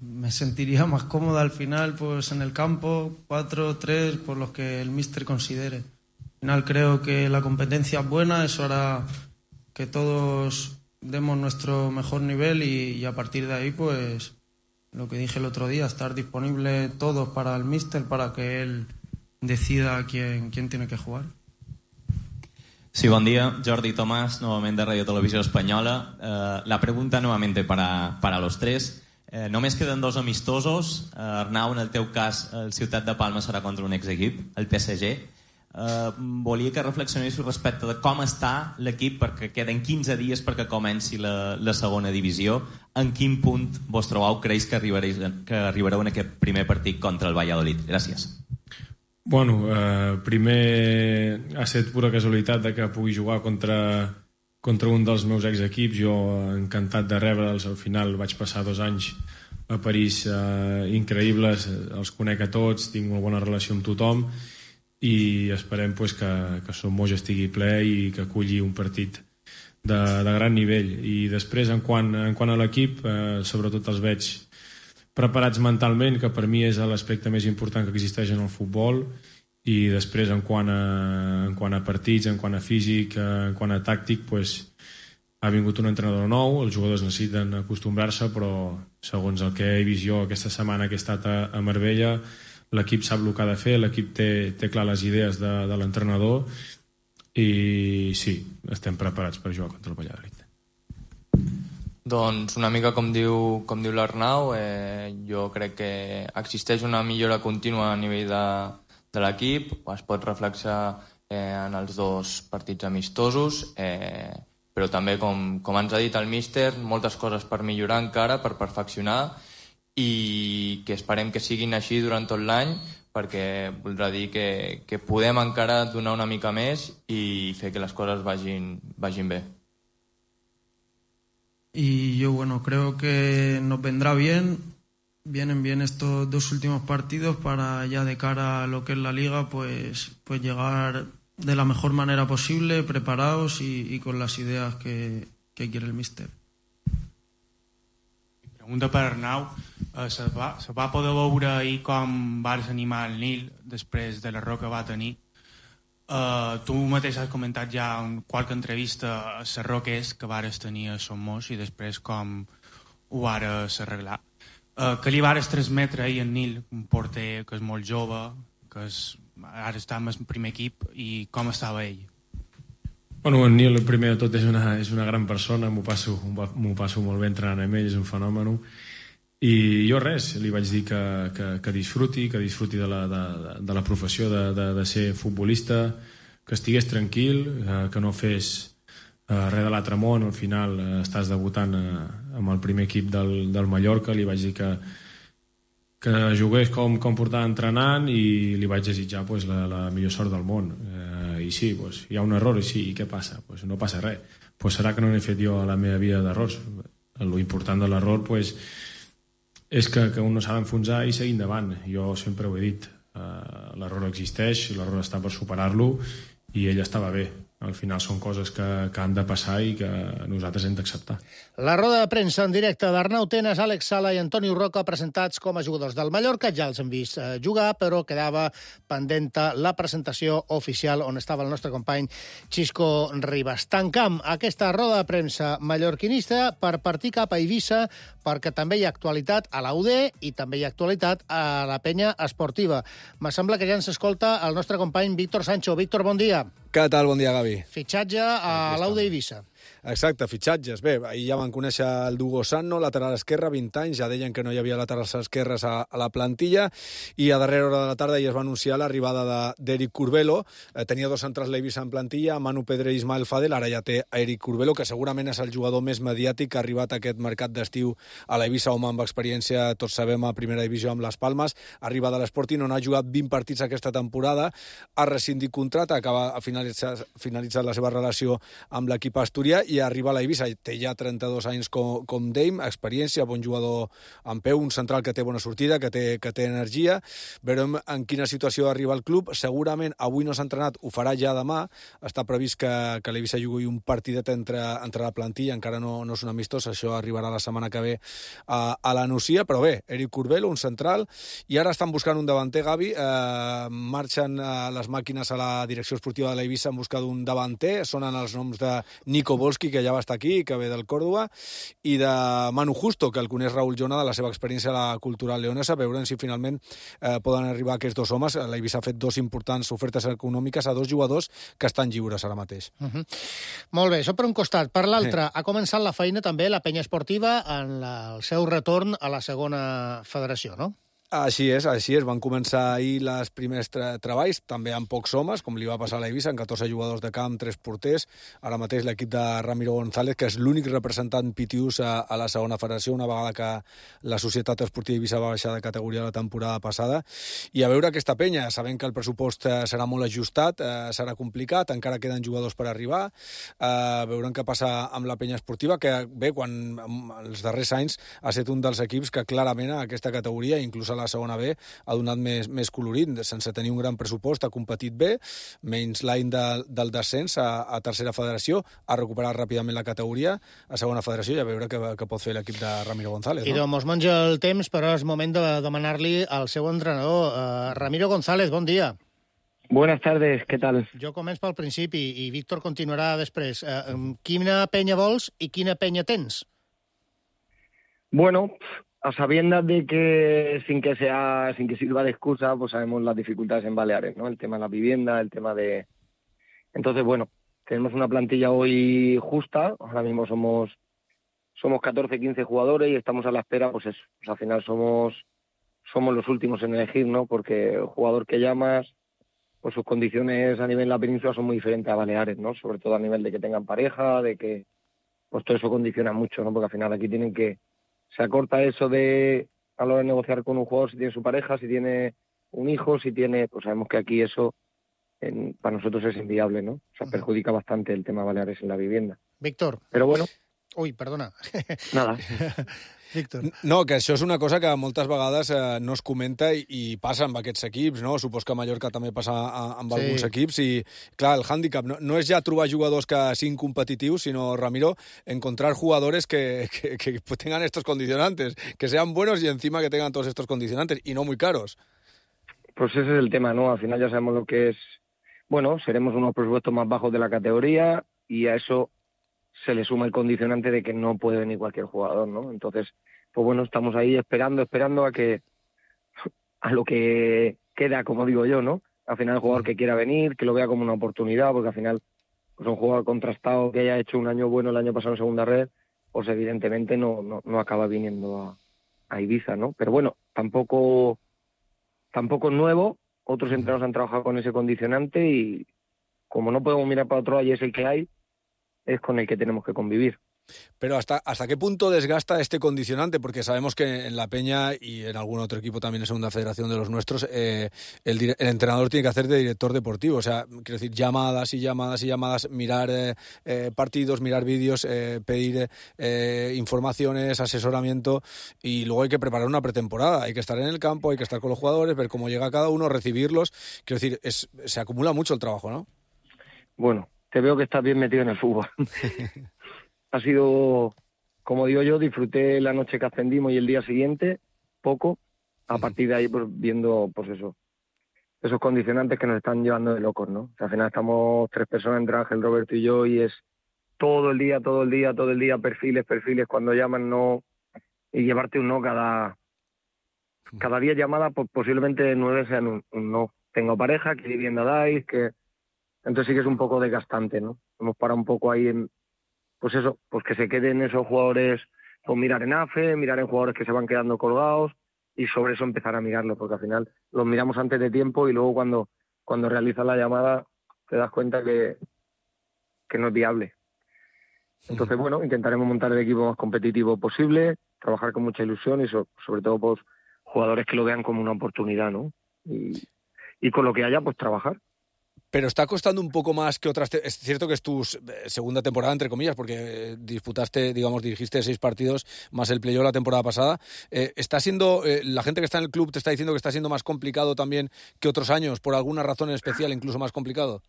Me sentiría más cómoda al final pues en el campo, cuatro, tres, por los que el míster considere. Al final creo que la competencia es buena, eso hará que todos demos nuestro mejor nivel y, y a partir de ahí pues lo que dije el otro día, estar disponible todos para el míster para que él decida quién, quién tiene que jugar. Sí, buen día. Jordi Tomás, nuevamente de Radio Televisión Española. Uh, la pregunta nuevamente para, para los tres. Eh, només queden dos amistosos. Eh, Arnau, en el teu cas, el Ciutat de Palma serà contra un exequip, el P S G. Eh, volia que reflexionéssiu respecte de com està l'equip, perquè queden quinze dies perquè comenci la, la segona divisió. En quin punt vos trobeu, creus que arribareu, que arribareu en aquest primer partit contra el Valladolid? Gràcies. Bueno, eh, primer ha estat pura casualitat de que pugui jugar contra... contra un dels meus exequips. Jo encantat de rebre'ls. Al final vaig passar dos anys a París eh, increïbles, els conec a tots, tinc una bona relació amb tothom i esperem pues, que, que Son Moix estigui ple i que aculli un partit de, de gran nivell. I després, en quant, en quant a l'equip, eh, sobretot els veig preparats mentalment, que per mi és l'aspecte més important que existeix en el futbol. I després, en quant a, en quant a partits, en quant a físic, en quant a tàctic, pues, ha vingut un entrenador nou, els jugadors necessiten acostumbrar-se, però segons el que he vist jo aquesta setmana que he estat a, a Marbella, l'equip sap el que ha de fer, l'equip té, té clar les idees de, de l'entrenador i sí, estem preparats per jugar contra el Valladolid. Doncs una mica com diu, com diu l'Arnau, eh, jo crec que existeix una millora contínua a nivell de de l'equip, es pot reflexar eh, en els dos partits amistosos, eh, però també, com, com ens ha dit el míster, moltes coses per millorar encara, per perfeccionar, i que esperem que siguin així durant tot l'any, perquè voldrà dir que, que podem encara donar una mica més i fer que les coses vagin, vagin bé. Y yo, bueno, creo que nos vendrá bien Vienen bien estos dos últimos partidos para ya de cara a lo que es la liga pues, pues llegar de la mejor manera posible, preparados y, y con las ideas que, que quiere el míster. Pregunta per Arnau. Eh, se, va, se va poder veure ahir com vas animar el Nil després de l'error que va tenir. Eh, tu mateix has comentat ja en qualque entrevista l'error que és que vares tenir a Somos i després com ho vares arreglar. Eh, que li vares transmetre ahir al Nil, un porter que és molt jove, que és, ara està en el primer equip, i com estava ell? Bueno, el Nil, primer de tot, és una, és una gran persona, m'ho passo, m'ho passo molt bé entrenant amb ell, és un fenòmen. I jo res, li vaig dir que, que, que disfruti, que disfruti de la, de, de la professió de, de, de ser futbolista, que estigués tranquil, eh, que no fes eh, res de l'altre món. Al final eh, estàs debutant eh, amb el primer equip del, del Mallorca, li vaig dir que, que jugués com, com portava entrenant i li vaig desitjar pues, la, la millor sort del món. Eh, i sí, pues, hi ha un error, i sí, i què passa? Pues no passa res. Pues serà que no n'he fet jo a la meva vida d'errors. Lo important de l'error pues, és que, que un no s'ha d'enfonsar i seguir endavant. Jo sempre ho he dit, uh, l'error existeix, l'error està per superar-lo i ell estava bé. Al final són coses que, que han de passar i que nosaltres hem d'acceptar. La roda de premsa en directe d'Arnau Tenas, Àlex Sala i Antonio Roca, presentats com a jugadors del Mallorca. Ja els hem vist eh, jugar, però quedava pendenta la presentació oficial on estava el nostre company Xisco Ribas. Tancam aquesta roda de premsa mallorquinista per partir cap a Eivissa, perquè també hi ha actualitat a la U D i també hi ha actualitat a la penya esportiva. Me sembla que ja ens escolta el nostre company Víctor Sancho. Víctor, bon dia. Què tal? Bon dia, Gavi. Fitxatge a l'U D Eivissa. Exacte, fitxatges. Bé, ahir ja van conèixer el Dugo Sanno, lateral esquerre, vint anys, ja deien que no hi havia laterals esquerres a, a la plantilla, i a darrera hora de la tarda ja es va anunciar l'arribada d'Eric Curbelo. Eh, tenia dos centrals l'Eivissa en plantilla, Manu Pedre i Ismael Fadel, ara ja té a Eric Curbelo, que segurament és el jugador més mediàtic que ha arribat a aquest mercat d'estiu a l'Eivissa, home amb experiència, tots sabem, a primera divisió amb les Palmes, arriba de l'Sporting, on ha jugat vint partits aquesta temporada, ha rescindit contracte, acaba a finalitzar, finalitzat la seva relació amb l'equip asturià, i arriba a l'Eivissa. Té ja trenta-dos anys com, com Dame, experiència, bon jugador en peu, un central que té bona sortida, que té, que té energia. Veurem en quina situació arriba el club. Segurament avui no s'ha entrenat, ho farà ja demà. Està previst que, que l'Eivissa jugui un partidet entre, entre la plantilla, encara no, no és un amistós, això arribarà la setmana que ve a, a la Nucia, però bé, Eric Curbelo, un central, i ara estan buscant un davanter, Gavi. Eh, marxen eh, les màquines a la direcció esportiva de l'Eivissa en busca d'un davanter. Sonen els noms de Nico Volski, que ja va estar aquí, que ve del Córdoba, i de Manu Justo, que el coneix Raúl Jona de la seva experiència a la cultural leonesa. Veurem si finalment eh, poden arribar aquests dos homes. L'Eivissa ha fet dos importants ofertes econòmiques a dos jugadors que estan lliures ara mateix. Uh -huh. Molt bé, això per un costat. Per l'altre, sí. Ha començat la feina també la penya esportiva en la, el seu retorn a la segona federació, no? Així és, així és. Van començar ahir les primers tra treballs, també amb pocs homes, com li va passar a l'Eivissa, amb catorze jugadors de camp, tres porters. Ara mateix l'equip de Ramiro González, que és l'únic representant pitius a, a la segona federació, una vegada que la Societat Esportiva Eivissa va baixar de categoria la temporada passada. I a veure aquesta penya, sabent que el pressupost serà molt ajustat, eh, serà complicat, encara queden jugadors per arribar. Eh, veurem què passa amb la penya esportiva, que bé, quan els darrers anys ha estat un dels equips que clarament a aquesta categoria, inclús a la segona B, ha donat més, més colorit, sense tenir un gran pressupost, ha competit bé, menys l'any de, del descens a, a tercera federació, ha recuperat ràpidament la categoria a segona federació, i a veure què, què pot fer l'equip de Ramiro González. I no? doncs menja el temps, però és moment de demanar-li al seu entrenador. Uh, Ramiro González, bon dia. Buenas tardes, ¿qué tal? Jo començo pel principi i Víctor continuarà després. Uh, quina penya vols i quina penya tens? Bueno, a sabiendas de que sin que sea, sin que sirva de excusa, pues sabemos las dificultades en Baleares, ¿no? El tema de la vivienda, el tema de... Entonces, bueno, tenemos una plantilla hoy justa, ahora mismo somos somos catorce, quince jugadores y estamos a la espera, pues eso, pues al final somos somos los últimos en elegir, ¿no? Porque el jugador que llamas, pues sus condiciones a nivel de la península son muy diferentes a Baleares, ¿no? Sobre todo a nivel de que tengan pareja, de que pues todo eso condiciona mucho, ¿no? Porque al final aquí tienen que... Se acorta eso de a la hora de negociar con un jugador si tiene su pareja, si tiene un hijo, si tiene... Pues sabemos que aquí eso en, para nosotros es inviable, ¿no? O sea, perjudica bastante el tema Baleares en la vivienda. Víctor. Pero bueno, Ui, perdona. Nada. Víctor. No, que això és una cosa que moltes vegades eh, no es comenta i, i passa amb aquests equips, no? Supos que a Mallorca també passa a, amb Sí. alguns equips i, clar, el hàndicap no, no és ja trobar jugadors que siguin competitius, sinó, Ramiro, encontrar jugadores que, que, que tengan estos condicionantes, que sean buenos y encima que tengan todos estos condicionantes y no muy caros. Pues ese es el tema, ¿no? Al final ya sabemos lo que es. Bueno, seremos unos presupuestos más bajos de la categoría y a eso se le suma el condicionante de que no puede venir cualquier jugador, ¿no? Entonces, pues bueno, estamos ahí esperando, esperando a que a lo que queda, como digo yo, ¿no? Al final el jugador que quiera venir, que lo vea como una oportunidad, porque al final pues un jugador contrastado que haya hecho un año bueno el año pasado en segunda red, pues evidentemente no, no, no acaba viniendo a, a Ibiza, ¿no? Pero bueno, tampoco tampoco es nuevo, otros entrenadores han trabajado con ese condicionante y como no podemos mirar para otro lado y es el que hay, es con el que tenemos que convivir. Pero ¿hasta, ¿hasta qué punto desgasta este condicionante? Porque sabemos que en la Peña y en algún otro equipo también en Segunda Federación de los nuestros, eh, el, dire- el entrenador tiene que hacer de director deportivo. O sea, quiero decir, llamadas y llamadas y llamadas, mirar eh, eh, partidos, mirar vídeos, eh, pedir eh, informaciones, asesoramiento y luego hay que preparar una pretemporada. Hay que estar en el campo, hay que estar con los jugadores, ver cómo llega cada uno, recibirlos. Quiero decir, es, se acumula mucho el trabajo, ¿no? Bueno, te veo que estás bien metido en el fútbol. Ha sido, como digo yo, disfruté la noche que ascendimos y el día siguiente, poco. A partir de ahí, pues viendo, pues eso, esos condicionantes que nos están llevando de locos, ¿no? O sea, al final estamos tres personas, entre Ángel, Roberto y yo, y es todo el día, todo el día, todo el día, perfiles, perfiles, cuando llaman, no, y llevarte un no cada, cada día llamada, pues posiblemente nueve sean un, un no. Tengo pareja, ¿qué vivienda dais? Que... Entonces sí que es un poco desgastante, ¿no? Hemos parado un poco ahí en, pues eso, pues que se queden esos jugadores, pues mirar en A F E, mirar en jugadores que se van quedando colgados y sobre eso empezar a mirarlo, porque al final los miramos antes de tiempo y luego cuando, cuando realizas la llamada te das cuenta que, que no es viable. Entonces, bueno, intentaremos montar el equipo más competitivo posible, trabajar con mucha ilusión y so, sobre todo pues jugadores que lo vean como una oportunidad, ¿no? Y, y con lo que haya, pues trabajar. Pero está costando un poco más que otras... Te- es cierto que es tu s- segunda temporada, entre comillas, porque eh, disputaste, digamos, dirigiste seis partidos más el playoff la temporada pasada. Eh, ¿Está siendo... Eh, la gente que está en el club te está diciendo que está siendo más complicado también que otros años, por alguna razón en especial, incluso más complicado?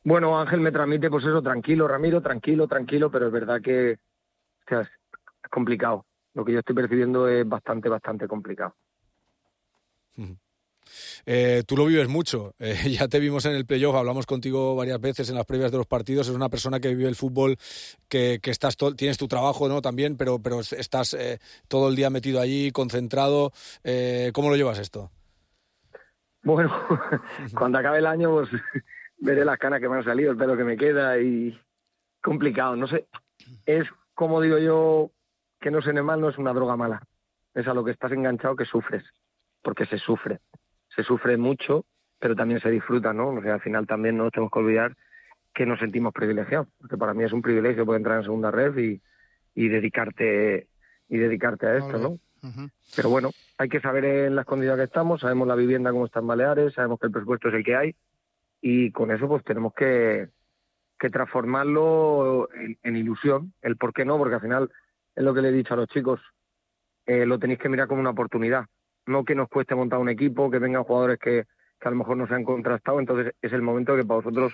Bueno, Ángel me transmite, pues eso, tranquilo, Ramiro, tranquilo, tranquilo, pero es verdad que o sea, es complicado. Lo que yo estoy percibiendo es bastante, bastante complicado. Eh, tú lo vives mucho, eh, ya te vimos en el playoff, hablamos contigo varias veces en las previas de los partidos, es una persona que vive el fútbol, que, que estás to- tienes tu trabajo, ¿no? También, pero, pero estás eh, todo el día metido allí, concentrado. Eh, ¿Cómo lo llevas esto? Bueno, cuando acabe el año, pues veré las canas que me han salido, el pelo que me queda y complicado, no sé. Es, como digo yo, que no suene mal, no es una droga mala. Es a lo que estás enganchado que sufres, porque se sufre. Se sufre mucho, pero también se disfruta, ¿no? O sea, al final también no nos tenemos que olvidar que nos sentimos privilegiados, porque para mí es un privilegio poder entrar en segunda red y, y dedicarte y dedicarte a esto, ¿no? Pero bueno, hay que saber en las condiciones que estamos, sabemos la vivienda cómo está en Baleares, sabemos que el presupuesto es el que hay y con eso pues tenemos que, que transformarlo en, en ilusión. El por qué no, porque al final es lo que le he dicho a los chicos, eh, lo tenéis que mirar como una oportunidad. No que nos cueste montar un equipo, que vengan jugadores que, que a lo mejor no se han contrastado, entonces es el momento que para vosotros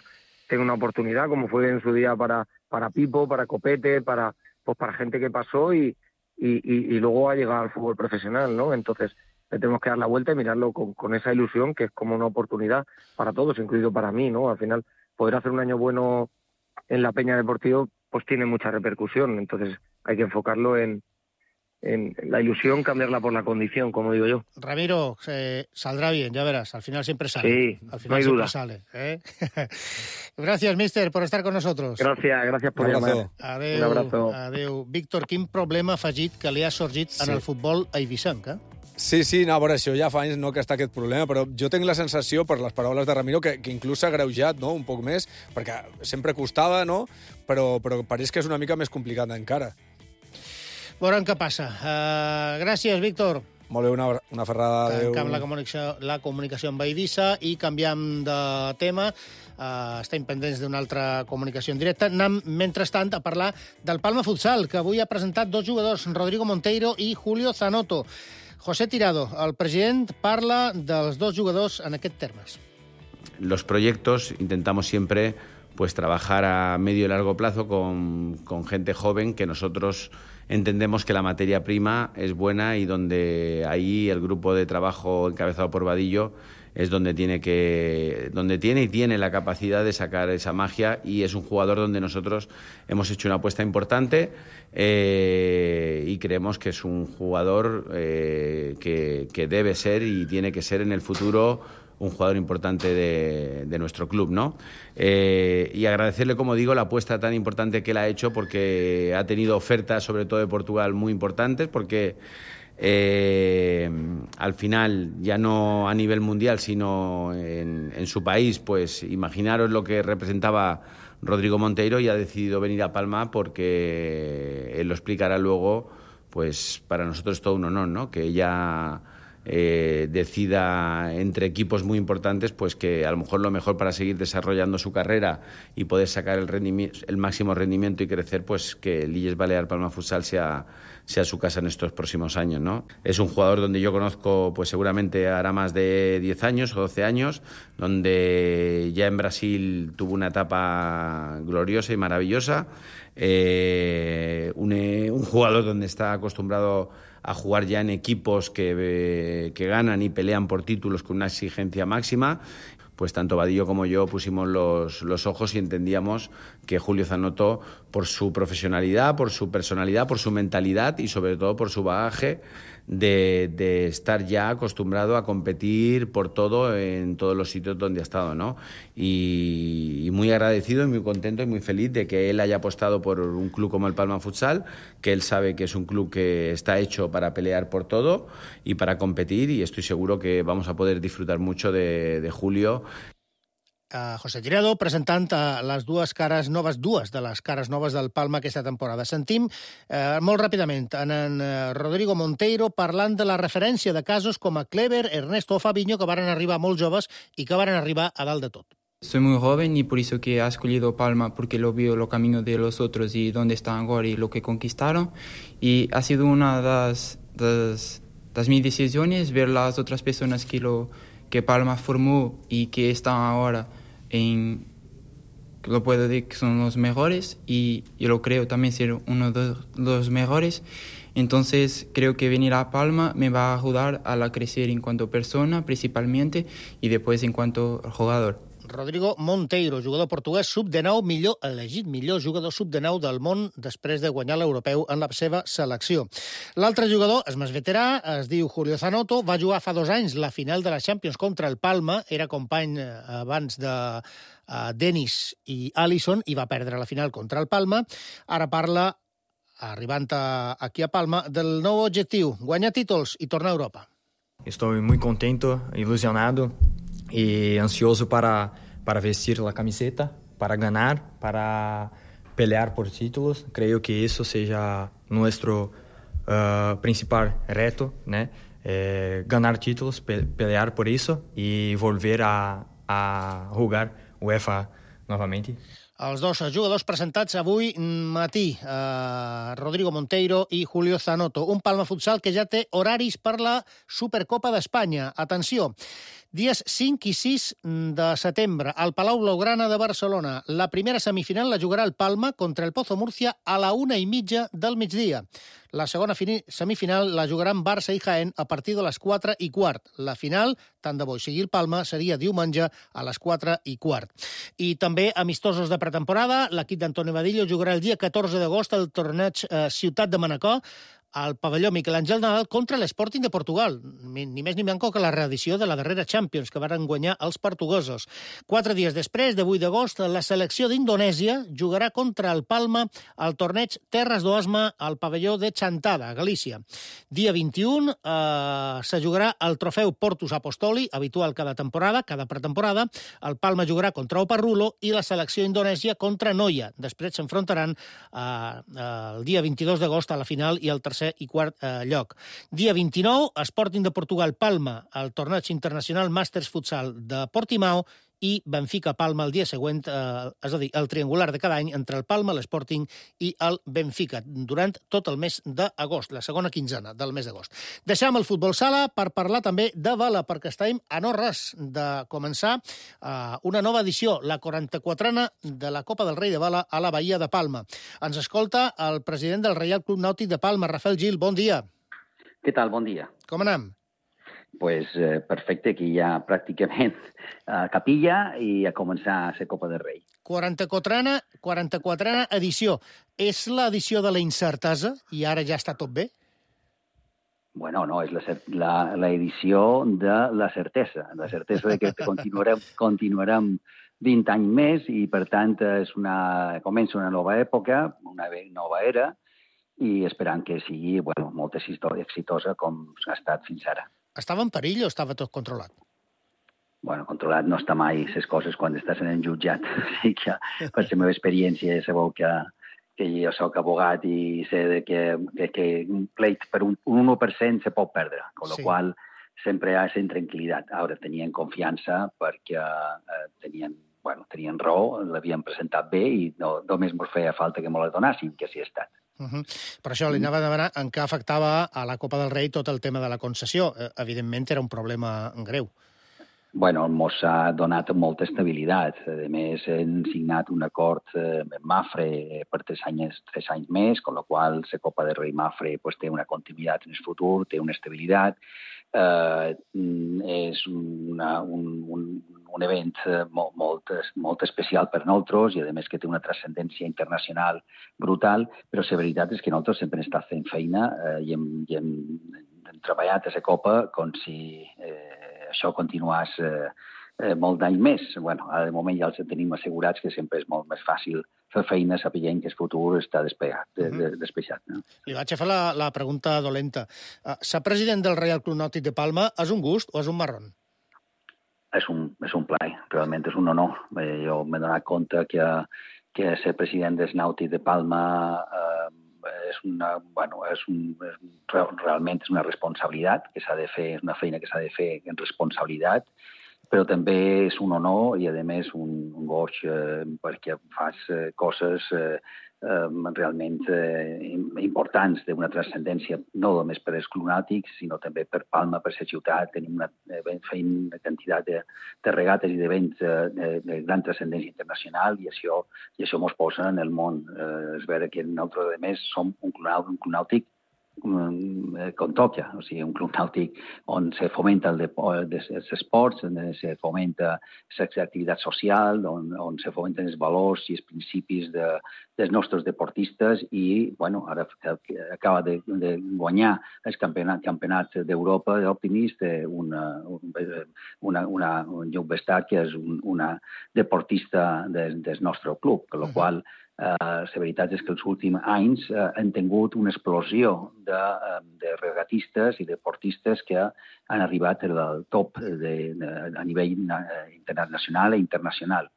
tenga una oportunidad, como fue en su día para, para Pipo, para Copete, para, pues para gente que pasó y, y, y, y luego ha llegado al fútbol profesional, ¿no? Entonces le tenemos que dar la vuelta y mirarlo con, con esa ilusión que es como una oportunidad para todos, incluido para mí, ¿no? Al final, poder hacer un año bueno en la Peña Deportivo pues tiene mucha repercusión, entonces hay que enfocarlo en en la ilusión, cambiarla por la condición, como digo yo. Ramiro, eh, saldrá bien, ya verás, al final siempre sale. Sí, al final no hay siempre duda. sale. ¿eh? Gracias, mister, por estar con nosotros. Gracias, gracias por llamar. Adéu, Un abrazo. adéu. Víctor, quin problema afegit que li ha sorgit Sí. en el futbol eivissenc, eh? Sí, sí, no, a veure, això ja fa anys no, que està aquest problema, però jo tinc la sensació, per les paraules de Ramiro, que, que inclús s'ha greujat, no?, un poc més, perquè sempre costava, no?, però, però pareix que és una mica més complicat encara. Veurem què passa. Uh, gràcies, Víctor. Molt bé, una, una ferrada. Tancam la comunicació, la comunicació amb Eivissa i canviam de tema. Uh, estem pendents d'una altra comunicació en directe. Anem, mentrestant, a parlar del Palma Futsal, que avui ha presentat dos jugadors, Rodrigo Monteiro i Julio Zanotto. José Tirado, el president, parla dels dos jugadors en aquests termes. Los proyectos intentamos siempre pues trabajar a medio y largo plazo con, con gente joven que nosotros entendemos que la materia prima es buena y donde ahí el grupo de trabajo encabezado por Vadillo es donde tiene que donde tiene y tiene la capacidad de sacar esa magia, y es un jugador donde nosotros hemos hecho una apuesta importante eh, y creemos que es un jugador eh, que, que debe ser y tiene que ser en el futuro un jugador importante de, de nuestro club, ¿no? Eh, y agradecerle, como digo, la apuesta tan importante que él ha hecho, porque ha tenido ofertas, sobre todo de Portugal, muy importantes, porque eh, al final, ya no a nivel mundial, sino en, en su país, pues imaginaros lo que representaba Rodrigo Monteiro, y ha decidido venir a Palma porque él lo explicará luego. Pues para nosotros es todo un honor, ¿no? Que ella Eh, decida entre equipos muy importantes, pues que a lo mejor lo mejor para seguir desarrollando su carrera y poder sacar el, el máximo rendimiento y crecer, pues que el Illes Balear Palma Futsal sea, sea su casa en estos próximos años, ¿no? Es un jugador donde yo conozco, pues seguramente hará más de diez años o doce años, donde ya en Brasil tuvo una etapa gloriosa y maravillosa, eh, un, un jugador donde está acostumbrado a jugar ya en equipos que, que ganan y pelean por títulos con una exigencia máxima. Pues tanto Vadillo como yo pusimos los, los ojos y entendíamos que Julio Zanotto, por su profesionalidad, por su personalidad, por su mentalidad y sobre todo por su bagaje de, de estar ya acostumbrado a competir por todo en todos los sitios donde ha estado, ¿no? Y, y muy agradecido y muy contento y muy feliz de que él haya apostado por un club como el Palma Futsal, que él sabe que es un club que está hecho para pelear por todo y para competir, y estoy seguro que vamos a poder disfrutar mucho de, de Julio. Uh, José Tirado presentant uh, les dues cares noves, dues de les cares noves del Palma aquesta temporada. Sentim uh, molt ràpidament en, en uh, Rodrigo Monteiro parlant de la referència de casos com a Clever, Ernesto o Fabinho, que varen arribar molt joves i que varen arribar a dalt de tot. Soy muy joven y por eso que he escogido Palma, porque lo veo los caminos de los otros y dónde están ahora y lo que conquistaron. Y ha sido una de las, de las, de las mis decisiones ver las otras personas que, lo, que Palma formó y que están ahora en, lo puedo decir que son los mejores, y yo lo creo también ser uno de los mejores. Entonces creo que venir a Palma me va a ayudar a la crecer en cuanto persona principalmente y después en cuanto jugador. Rodrigo Monteiro, jugador portuguès sub dinou, millor elegit millor jugador sub dinou del món després de guanyar l'europeu en la seva selecció. L'altre jugador és més veterà, es diu Julio Zanotto, va jugar fa dos anys la final de la Champions contra el Palma, era company abans de uh, Dennis i Alisson i va perdre la final contra el Palma. Ara parla, arribant a, aquí a Palma, del nou objectiu, guanyar títols i tornar a Europa. Estou muito contento, ilusionado y ansioso para, para vestir la camiseta, para ganar, para pelear por títulos. Creo que eso sea nuestro uh, principal reto, ¿no? Eh, ganar títulos, pe pelear por eso y volver a, a jugar UEFA novamente. Els dos jugadors presentats avui matí, eh, Rodrigo Monteiro i Julio Zanotto. Un Palma Futsal que ja té horaris per la Supercopa d'Espanya. Atenció, dies cinc i sis de setembre, al Palau Blaugrana de Barcelona. La primera semifinal la jugarà el Palma contra el Pozo Murcia a la una i mitja del migdia. La segona semifinal la jugaran Barça i Jaén a partir de les quatre i quart. La final, tant de bo sigui el Palma, seria diumenge a les quatre i quart. I també amistosos de pretemporada. L'equip d'Antonio Vadillo jugarà el dia catorze d'agost al torneig eh, Ciutat de Manacor al pavelló Miquel Àngel Nadal contra l'Sporting de Portugal. Ni més ni manco que la reedició de la darrera Champions que varen guanyar els portuguesos. Quatre dies després, de vuit d'agost, la selecció d'Indonèsia jugarà contra el Palma al torneig Terres d'Oasma al pavelló de Chantada, a Galícia. Dia vint-i-u eh, se jugarà el trofeu Portus Apostoli, habitual cada temporada, cada pretemporada. El Palma jugarà contra Oparrulo i la selecció indonèsia contra Noia. Després s'enfrontaran eh, el dia vint-i-dos d'agost a la final i el tercer tercer i quart eh, lloc. Dia vint-i-nou, Sporting de Portugal Palma, el torneig internacional Masters Futsal de Portimao, i Benfica-Palma el dia següent, eh, és a dir, el triangular de cada any entre el Palma, l'Sporting i el Benfica, durant tot el mes d'agost, la segona quinzena del mes d'agost. Deixem el futbol sala per parlar també de vela, perquè estem a no res de començar eh, una nova edició, la quaranta-quatrena de la Copa del Rei de Vela a la Bahia de Palma. Ens escolta el president del Reial Club Nàutic de Palma, Rafael Gil. Bon dia. Què tal? Bon dia. Com anem? Pues eh, perfecte, aquí ja pràcticament a capilla i a començar a ser Copa del Rei. quaranta-quatrena, quaranta-quatrena edició. És l'edició de la incertesa i ara ja està tot bé? Bueno, no, és la, la, la edició de la certesa, la certesa de que continuarem, continuarem vint anys més i, per tant, és una, comença una nova època, una nova era, i esperant que sigui bueno, molt exitosa com ha estat fins ara. Estava en perill o estava tot controlat? Bueno, controlat no està mai les coses quan estàs en el jutjat. O sigui que, per la meva experiència, sabeu que, que jo soc abogat i sé que, que, que un pleit per un, un u per cent se pot perdre, con lo sí. qual sempre hi ha aquesta tranquil·litat. Ara tenien confiança perquè eh, tenien, bueno, tenien raó, l'havien presentat bé i no, només ens feia falta que me la donassin, que sí ha estat. Uh -huh. Per això li anava a demanar en què afectava a la Copa del Rei tot el tema de la concessió. Evidentment era un problema greu. Bueno, ens ha donat molta estabilitat. A més, hem signat un acord amb Mafre per tres anys, tres anys més, amb la qual la Copa del Rei Mafre pues, té una continuïtat en el futur, té una estabilitat. Eh, és una, un, un, un event molt, molt, molt especial per nosaltres i, a més, que té una transcendència internacional brutal, però la veritat és que nosaltres sempre hem estat fent feina eh, i, hem, i hem, hem treballat a la Copa com si eh, això continués eh, eh, molt d'anys més. Bueno, ara de moment ja els tenim assegurats que sempre és molt més fàcil fer feina sapient que el futur està despejat. De, de, despejat no? Li vaig a fer la, la pregunta dolenta. Uh, ser president del Reial Club Nàutic de Palma és un gust o és un marrón? És un, és un plaer, realment és un honor. Eh, jo m'he donat compte que, que ser president del Nàutic de Palma eh, és una, bueno, és un, és, realment és una responsabilitat que s'ha de fer, és una feina que s'ha de fer en responsabilitat, però també és un honor i, a més, un, un goig eh, perquè fas eh, coses eh, eh, realment eh, importants d'una transcendència no només per als clubs nàutics, sinó també per Palma, per la ciutat. Tenim una, eh, feim una quantitat de, de regates i d'events eh, de, de gran transcendència internacional i això, i això mos posa en el món. Eh, és vera que nosaltres, a més, som un club, un club nàutic com toca, o sigui, un club nàutic on se fomenta el els esports, on se fomenta l'activitat social, on, on se fomenten els valors i els principis de, dels nostres deportistes i, bueno, ara acaba de, de guanyar el campionat, campionat d'Europa d'Optimist una, una, una, un Lluc Bestart, que és un, una deportista del, del nostre club, amb la uh-huh. qual Uh, la veritat és que els últims anys uh, han tingut una explosió de, uh, de regatistes i deportistes que han arribat al top de, de, a nivell uh, internacional i internacional.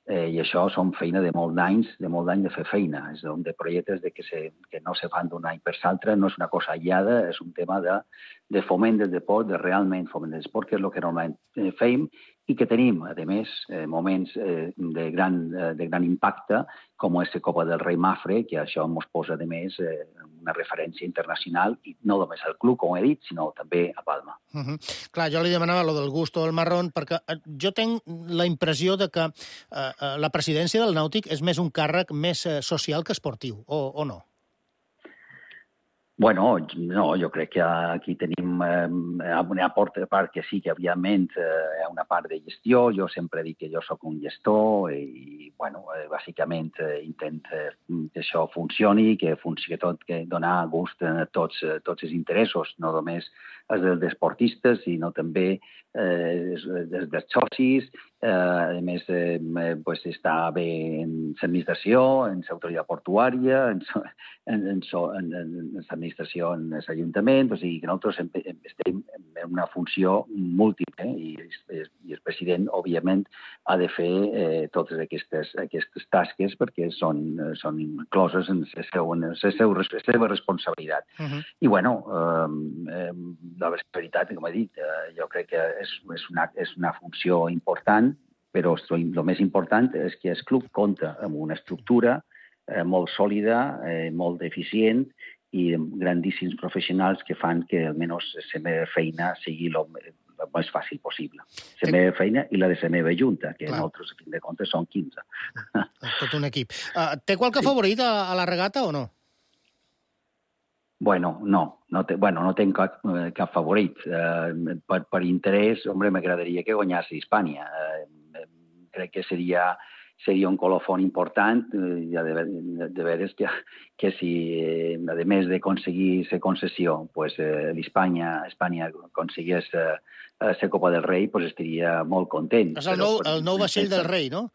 Eh, I això són feina de molt d'anys, de molt d'anys de fer feina. És un de projectes de que, se, que no se fan d'un any per l'altre, no és una cosa aïllada, és un tema de, de foment del deport, de realment foment del deport, que és el que normalment eh, feim, i que tenim, a més, eh, moments eh, de, gran, eh, de gran impacte, com és la Copa del Rei Mafre, que això ens posa, a més, eh, una referència internacional, i no només al club, com he dit, sinó també a Palma. Uh -huh. Clar, jo li demanava lo del gust o del marrón, perquè jo tinc la impressió de que eh, la presidència del Nàutic és més un càrrec més eh, social que esportiu, o, o no? Bueno, no, jo crec que aquí tenim eh, una part que sí que, òbviament, eh, hi ha una part de gestió. Jo sempre dic que jo sóc un gestor i, bueno, eh, bàsicament eh, intento que això funcioni, que funcioni tot, que donar gust a tots, eh, tots els interessos, no només els dels esportistes, sinó també eh, dels, dels socis Eh, a més, eh, pues està bé en l'administració, en l'autoritat portuària, en l'administració, en l'Ajuntament, o sigui que nosaltres estem en una funció múltiple i, i el president, òbviament, ha de fer eh, totes aquestes, aquestes tasques perquè són, són incloses en la seva, seva responsabilitat. Uh -huh. I, bueno, eh, la veritat, com he dit, eh, jo crec que és, és, una, és una funció important, però el més important és que el club compta amb una estructura eh, molt sòlida, eh, molt eficient i amb grandíssims professionals que fan que almenys la meva feina sigui el més fàcil possible. La meva feina i la de la meva junta, que nosaltres, a fin de comptes, són quinze. Tot un equip. Uh, té qualque sí. favorit a, a la regata o no? Bueno, no. No té, bueno, no tenc cap, cap favorit. Uh, per, per interès, home, m'agradaria que guanyés Hispània. Uh, crec que seria, seria un colofón important, eh, de, de, de veres que, que si, eh, a més d'aconseguir la concessió, pues, eh, l'Espanya Espanya aconseguís la eh, Copa del Rei, pues, estaria molt content. És el nou, el nou vaixell del rei, no?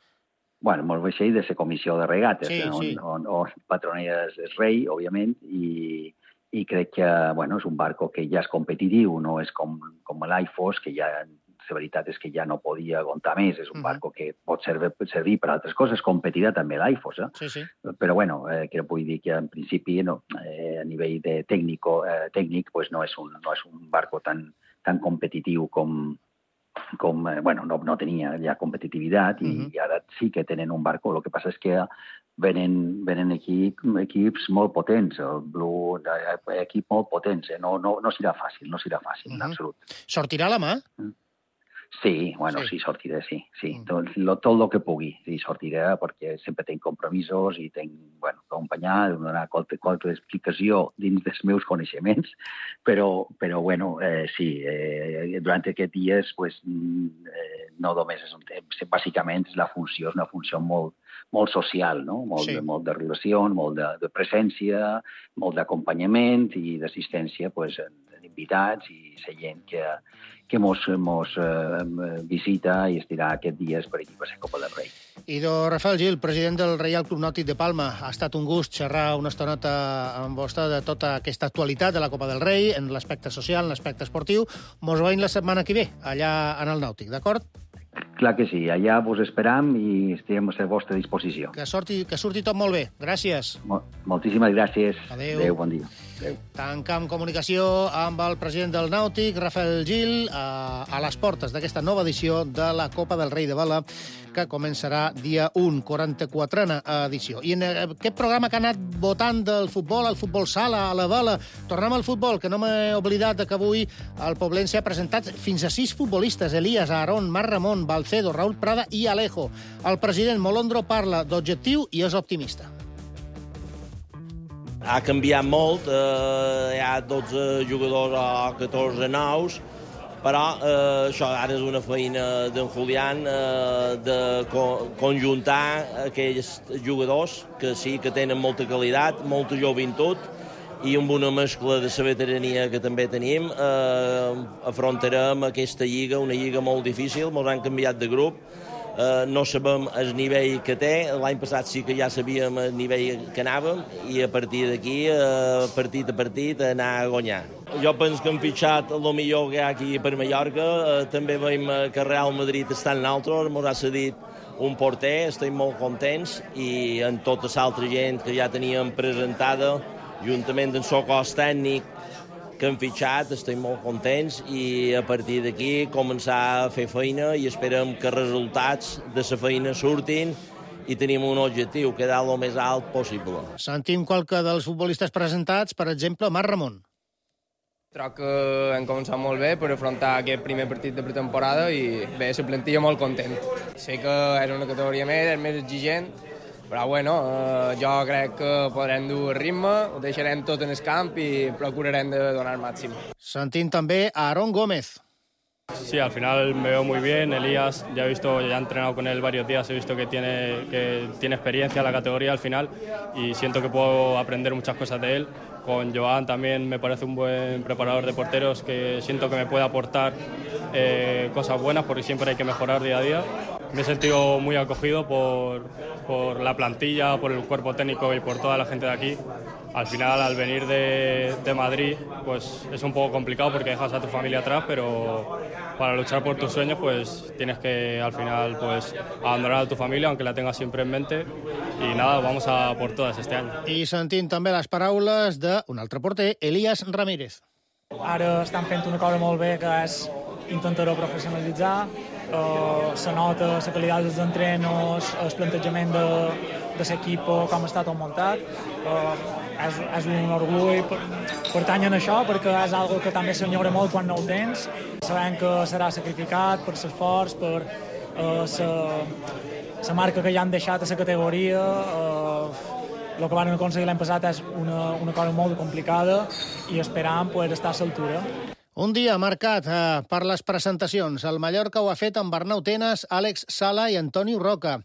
Bueno, el vaixell de la comissió de regates, sí, on, sí. on, on patronera és el rei, òbviament, i, i crec que, bueno, és un barco que ja és competitiu, no és com, com l'Aifos, que ja... La veritat és que ja no podia aguantar més. És un barco que pot servir, servir per altres coses. Competirà també l'Aifos, eh? Sí, sí. Però, bueno, eh, que vull dir que, en principi, no, eh, a nivell de tècnico, eh, tècnic, pues no és un, no és un barco tan, tan competitiu com... com eh, bueno, no, no tenia ja competitivitat i, uh-huh. i ara sí que tenen un barco. El que passa és que venen, venen aquí equips molt potents. El Blue, equip molt potents. Eh? No, no, no serà fàcil, no serà fàcil, uh-huh. en absolut. Sortirà la mà? Uh-huh. Sí, bueno, sí, sí sortiré, sí. sí. Mm. Tot, lo, tot el que pugui, sí, sortiré, perquè sempre tenc compromisos i tenc, bueno, acompanyar, donar qualque, qualque explicació dins dels meus coneixements, però, però bueno, eh, sí, eh, durant aquests dies, pues, eh, no només és un temps, bàsicament la funció és una funció molt, molt social, no? Molt, sí. de, molt de relació, molt de, de presència, molt d'acompanyament i d'assistència, pues, invitats i la gent que, que mos, mos eh, visita i estirà aquests dies per aquí per la Copa del Rei. Idò Rafael Gil, president del Reial Club Nàutic de Palma. Ha estat un gust xerrar una estoneta amb vostè de tota aquesta actualitat de la Copa del Rei, en l'aspecte social, en l'aspecte esportiu. Mos veiem la setmana que ve, allà en el Nàutic, d'acord? Clar que sí, allà vos esperam i estem a la vostra disposició. Que surti, que surti tot molt bé. Gràcies. Mol, moltíssimes gràcies. Adéu. Adéu, bon dia. Adéu. Tancam comunicació amb el president del Nàutic, Rafael Gil, a, a les portes d'aquesta nova edició de la Copa del Rei de Vela, que començarà dia u, quaranta-quatrena edició. I en aquest programa que ha anat votant del futbol, al futbol sala, a la vela, tornem al futbol, que no m'he oblidat que avui el Poblense ha presentat fins a sis futbolistes: Elias, Aarón, Marc Ramon, Balcedo, Raúl Prada i Alejo. El president Molondro parla d'objectiu i és optimista. Ha canviat molt, eh, hi ha dotze jugadors o catorze nous, però eh, això ara és una feina d'en Julián eh, de co conjuntar aquells jugadors que sí que tenen molta qualitat, molta joventut, i amb una mescla de la veterania que també tenim eh, afrontarem aquesta lliga, una lliga molt difícil. Ens han canviat de grup. Uh, no sabem el nivell que té. L'any passat sí que ja sabíem el nivell que anàvem i a partir d'aquí, uh, partit a partit, anar a guanyar. Jo penso que hem fitxat el millor que hi ha aquí per Mallorca. Uh, també veiem que Real Madrid està en l'altre, ens ha cedit un porter, estem molt contents, i en tota l'altra gent que ja teníem presentada, juntament amb el cos tècnic que hem fitxat, estem molt contents, i a partir d'aquí començar a fer feina i esperem que els resultats de la feina surtin i tenim un objectiu, quedar el més alt possible. Sentim qualque dels futbolistes presentats, per exemple, Marc Ramon. Crec que hem començat molt bé per afrontar aquest primer partit de pretemporada i bé, la plantilla molt content. Sé que és una categoria més, és més exigent, però bueno, eh, jo crec que podrem dur el ritme, ho deixarem tot en el camp i procurarem de donar el màxim. Sentim també a Aarón Gómez. Sí, al final me veo muy bien. Elías, ya he visto, ya he entrenado con él varios días, he visto que tiene, que tiene experiencia en la categoría al final y siento que puedo aprender muchas cosas de él. Con Joan también me parece un buen preparador de porteros que siento que me puede aportar eh, cosas buenas porque siempre hay que mejorar día a día. Me he sentido muy acogido por, por la plantilla, por el cuerpo técnico y por toda la gente de aquí. Al final, al venir de, de Madrid, pues es un poco complicado porque dejas a tu familia atrás, pero para luchar por tus sueños, pues tienes que al final pues abandonar a tu familia, aunque la tengas siempre en mente. I nada, vamos a por todas este any. I sentint també les paraules d'un altre porter, Elías Ramírez. Ara estan fent una cosa molt bé, que és intentar-ho professionalitzar. Uh, se nota la qualitat dels entrenos, el plantejament de, de l'equip, com està tot muntat. Uh, és, és un orgull pertany a això, perquè és algo que també s'enyora molt quan no ho tens. Sabem que serà sacrificat per l'esforç, per uh, la marca que ja han deixat a la categoria. Uh, el que van aconseguir l'any passat és una, una cosa molt complicada i esperam poder estar a l'altura. Un dia marcat eh, per les presentacions. El Mallorca ho ha fet amb Arnau Tenas, Àlex Sala i Antonio Roca.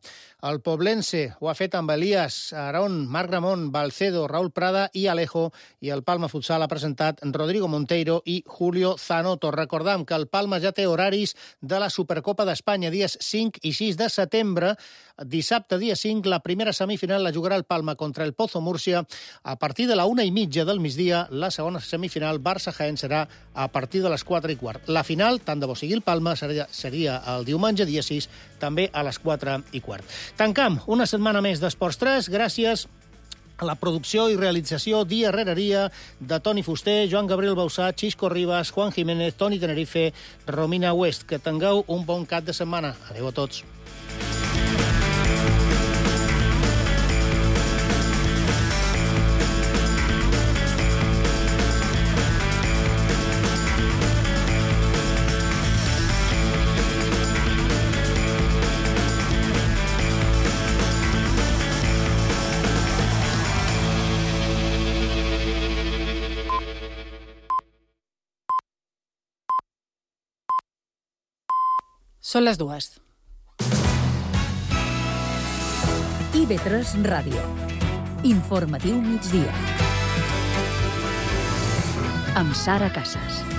El Poblense ho ha fet amb Elías, Aarón, Marc Ramon, Balcedo, Raúl Prada i Alejo. I el Palma Futsal ha presentat Rodrigo Monteiro i Julio Zanoto. Recordam que el Palma ja té horaris de la Supercopa d'Espanya, dies cinc i sis de setembre. Dissabte, dia cinc, la primera semifinal la jugarà el Palma contra el Pozo Múrcia. A partir de la una i mitja del migdia, la segona semifinal, Barça-Jaén, serà a partir de les quatre i quart. La final, tant de bo sigui el Palma, seria, seria el diumenge, dia sis, també a les quatre i quart. Tancam una setmana més d'Esports tres, gràcies a la producció i realització dia rere dia de Toni Fuster, Joan Gabriel Bausà, Xisco Ribas, Juan Jiménez, Toni Tenerife, Romina West. Que tingueu un bon cap de setmana. Adéu a tots. Són les dues. I ve tres Ràdio. Informatiu migdia. Amb Sara Casas.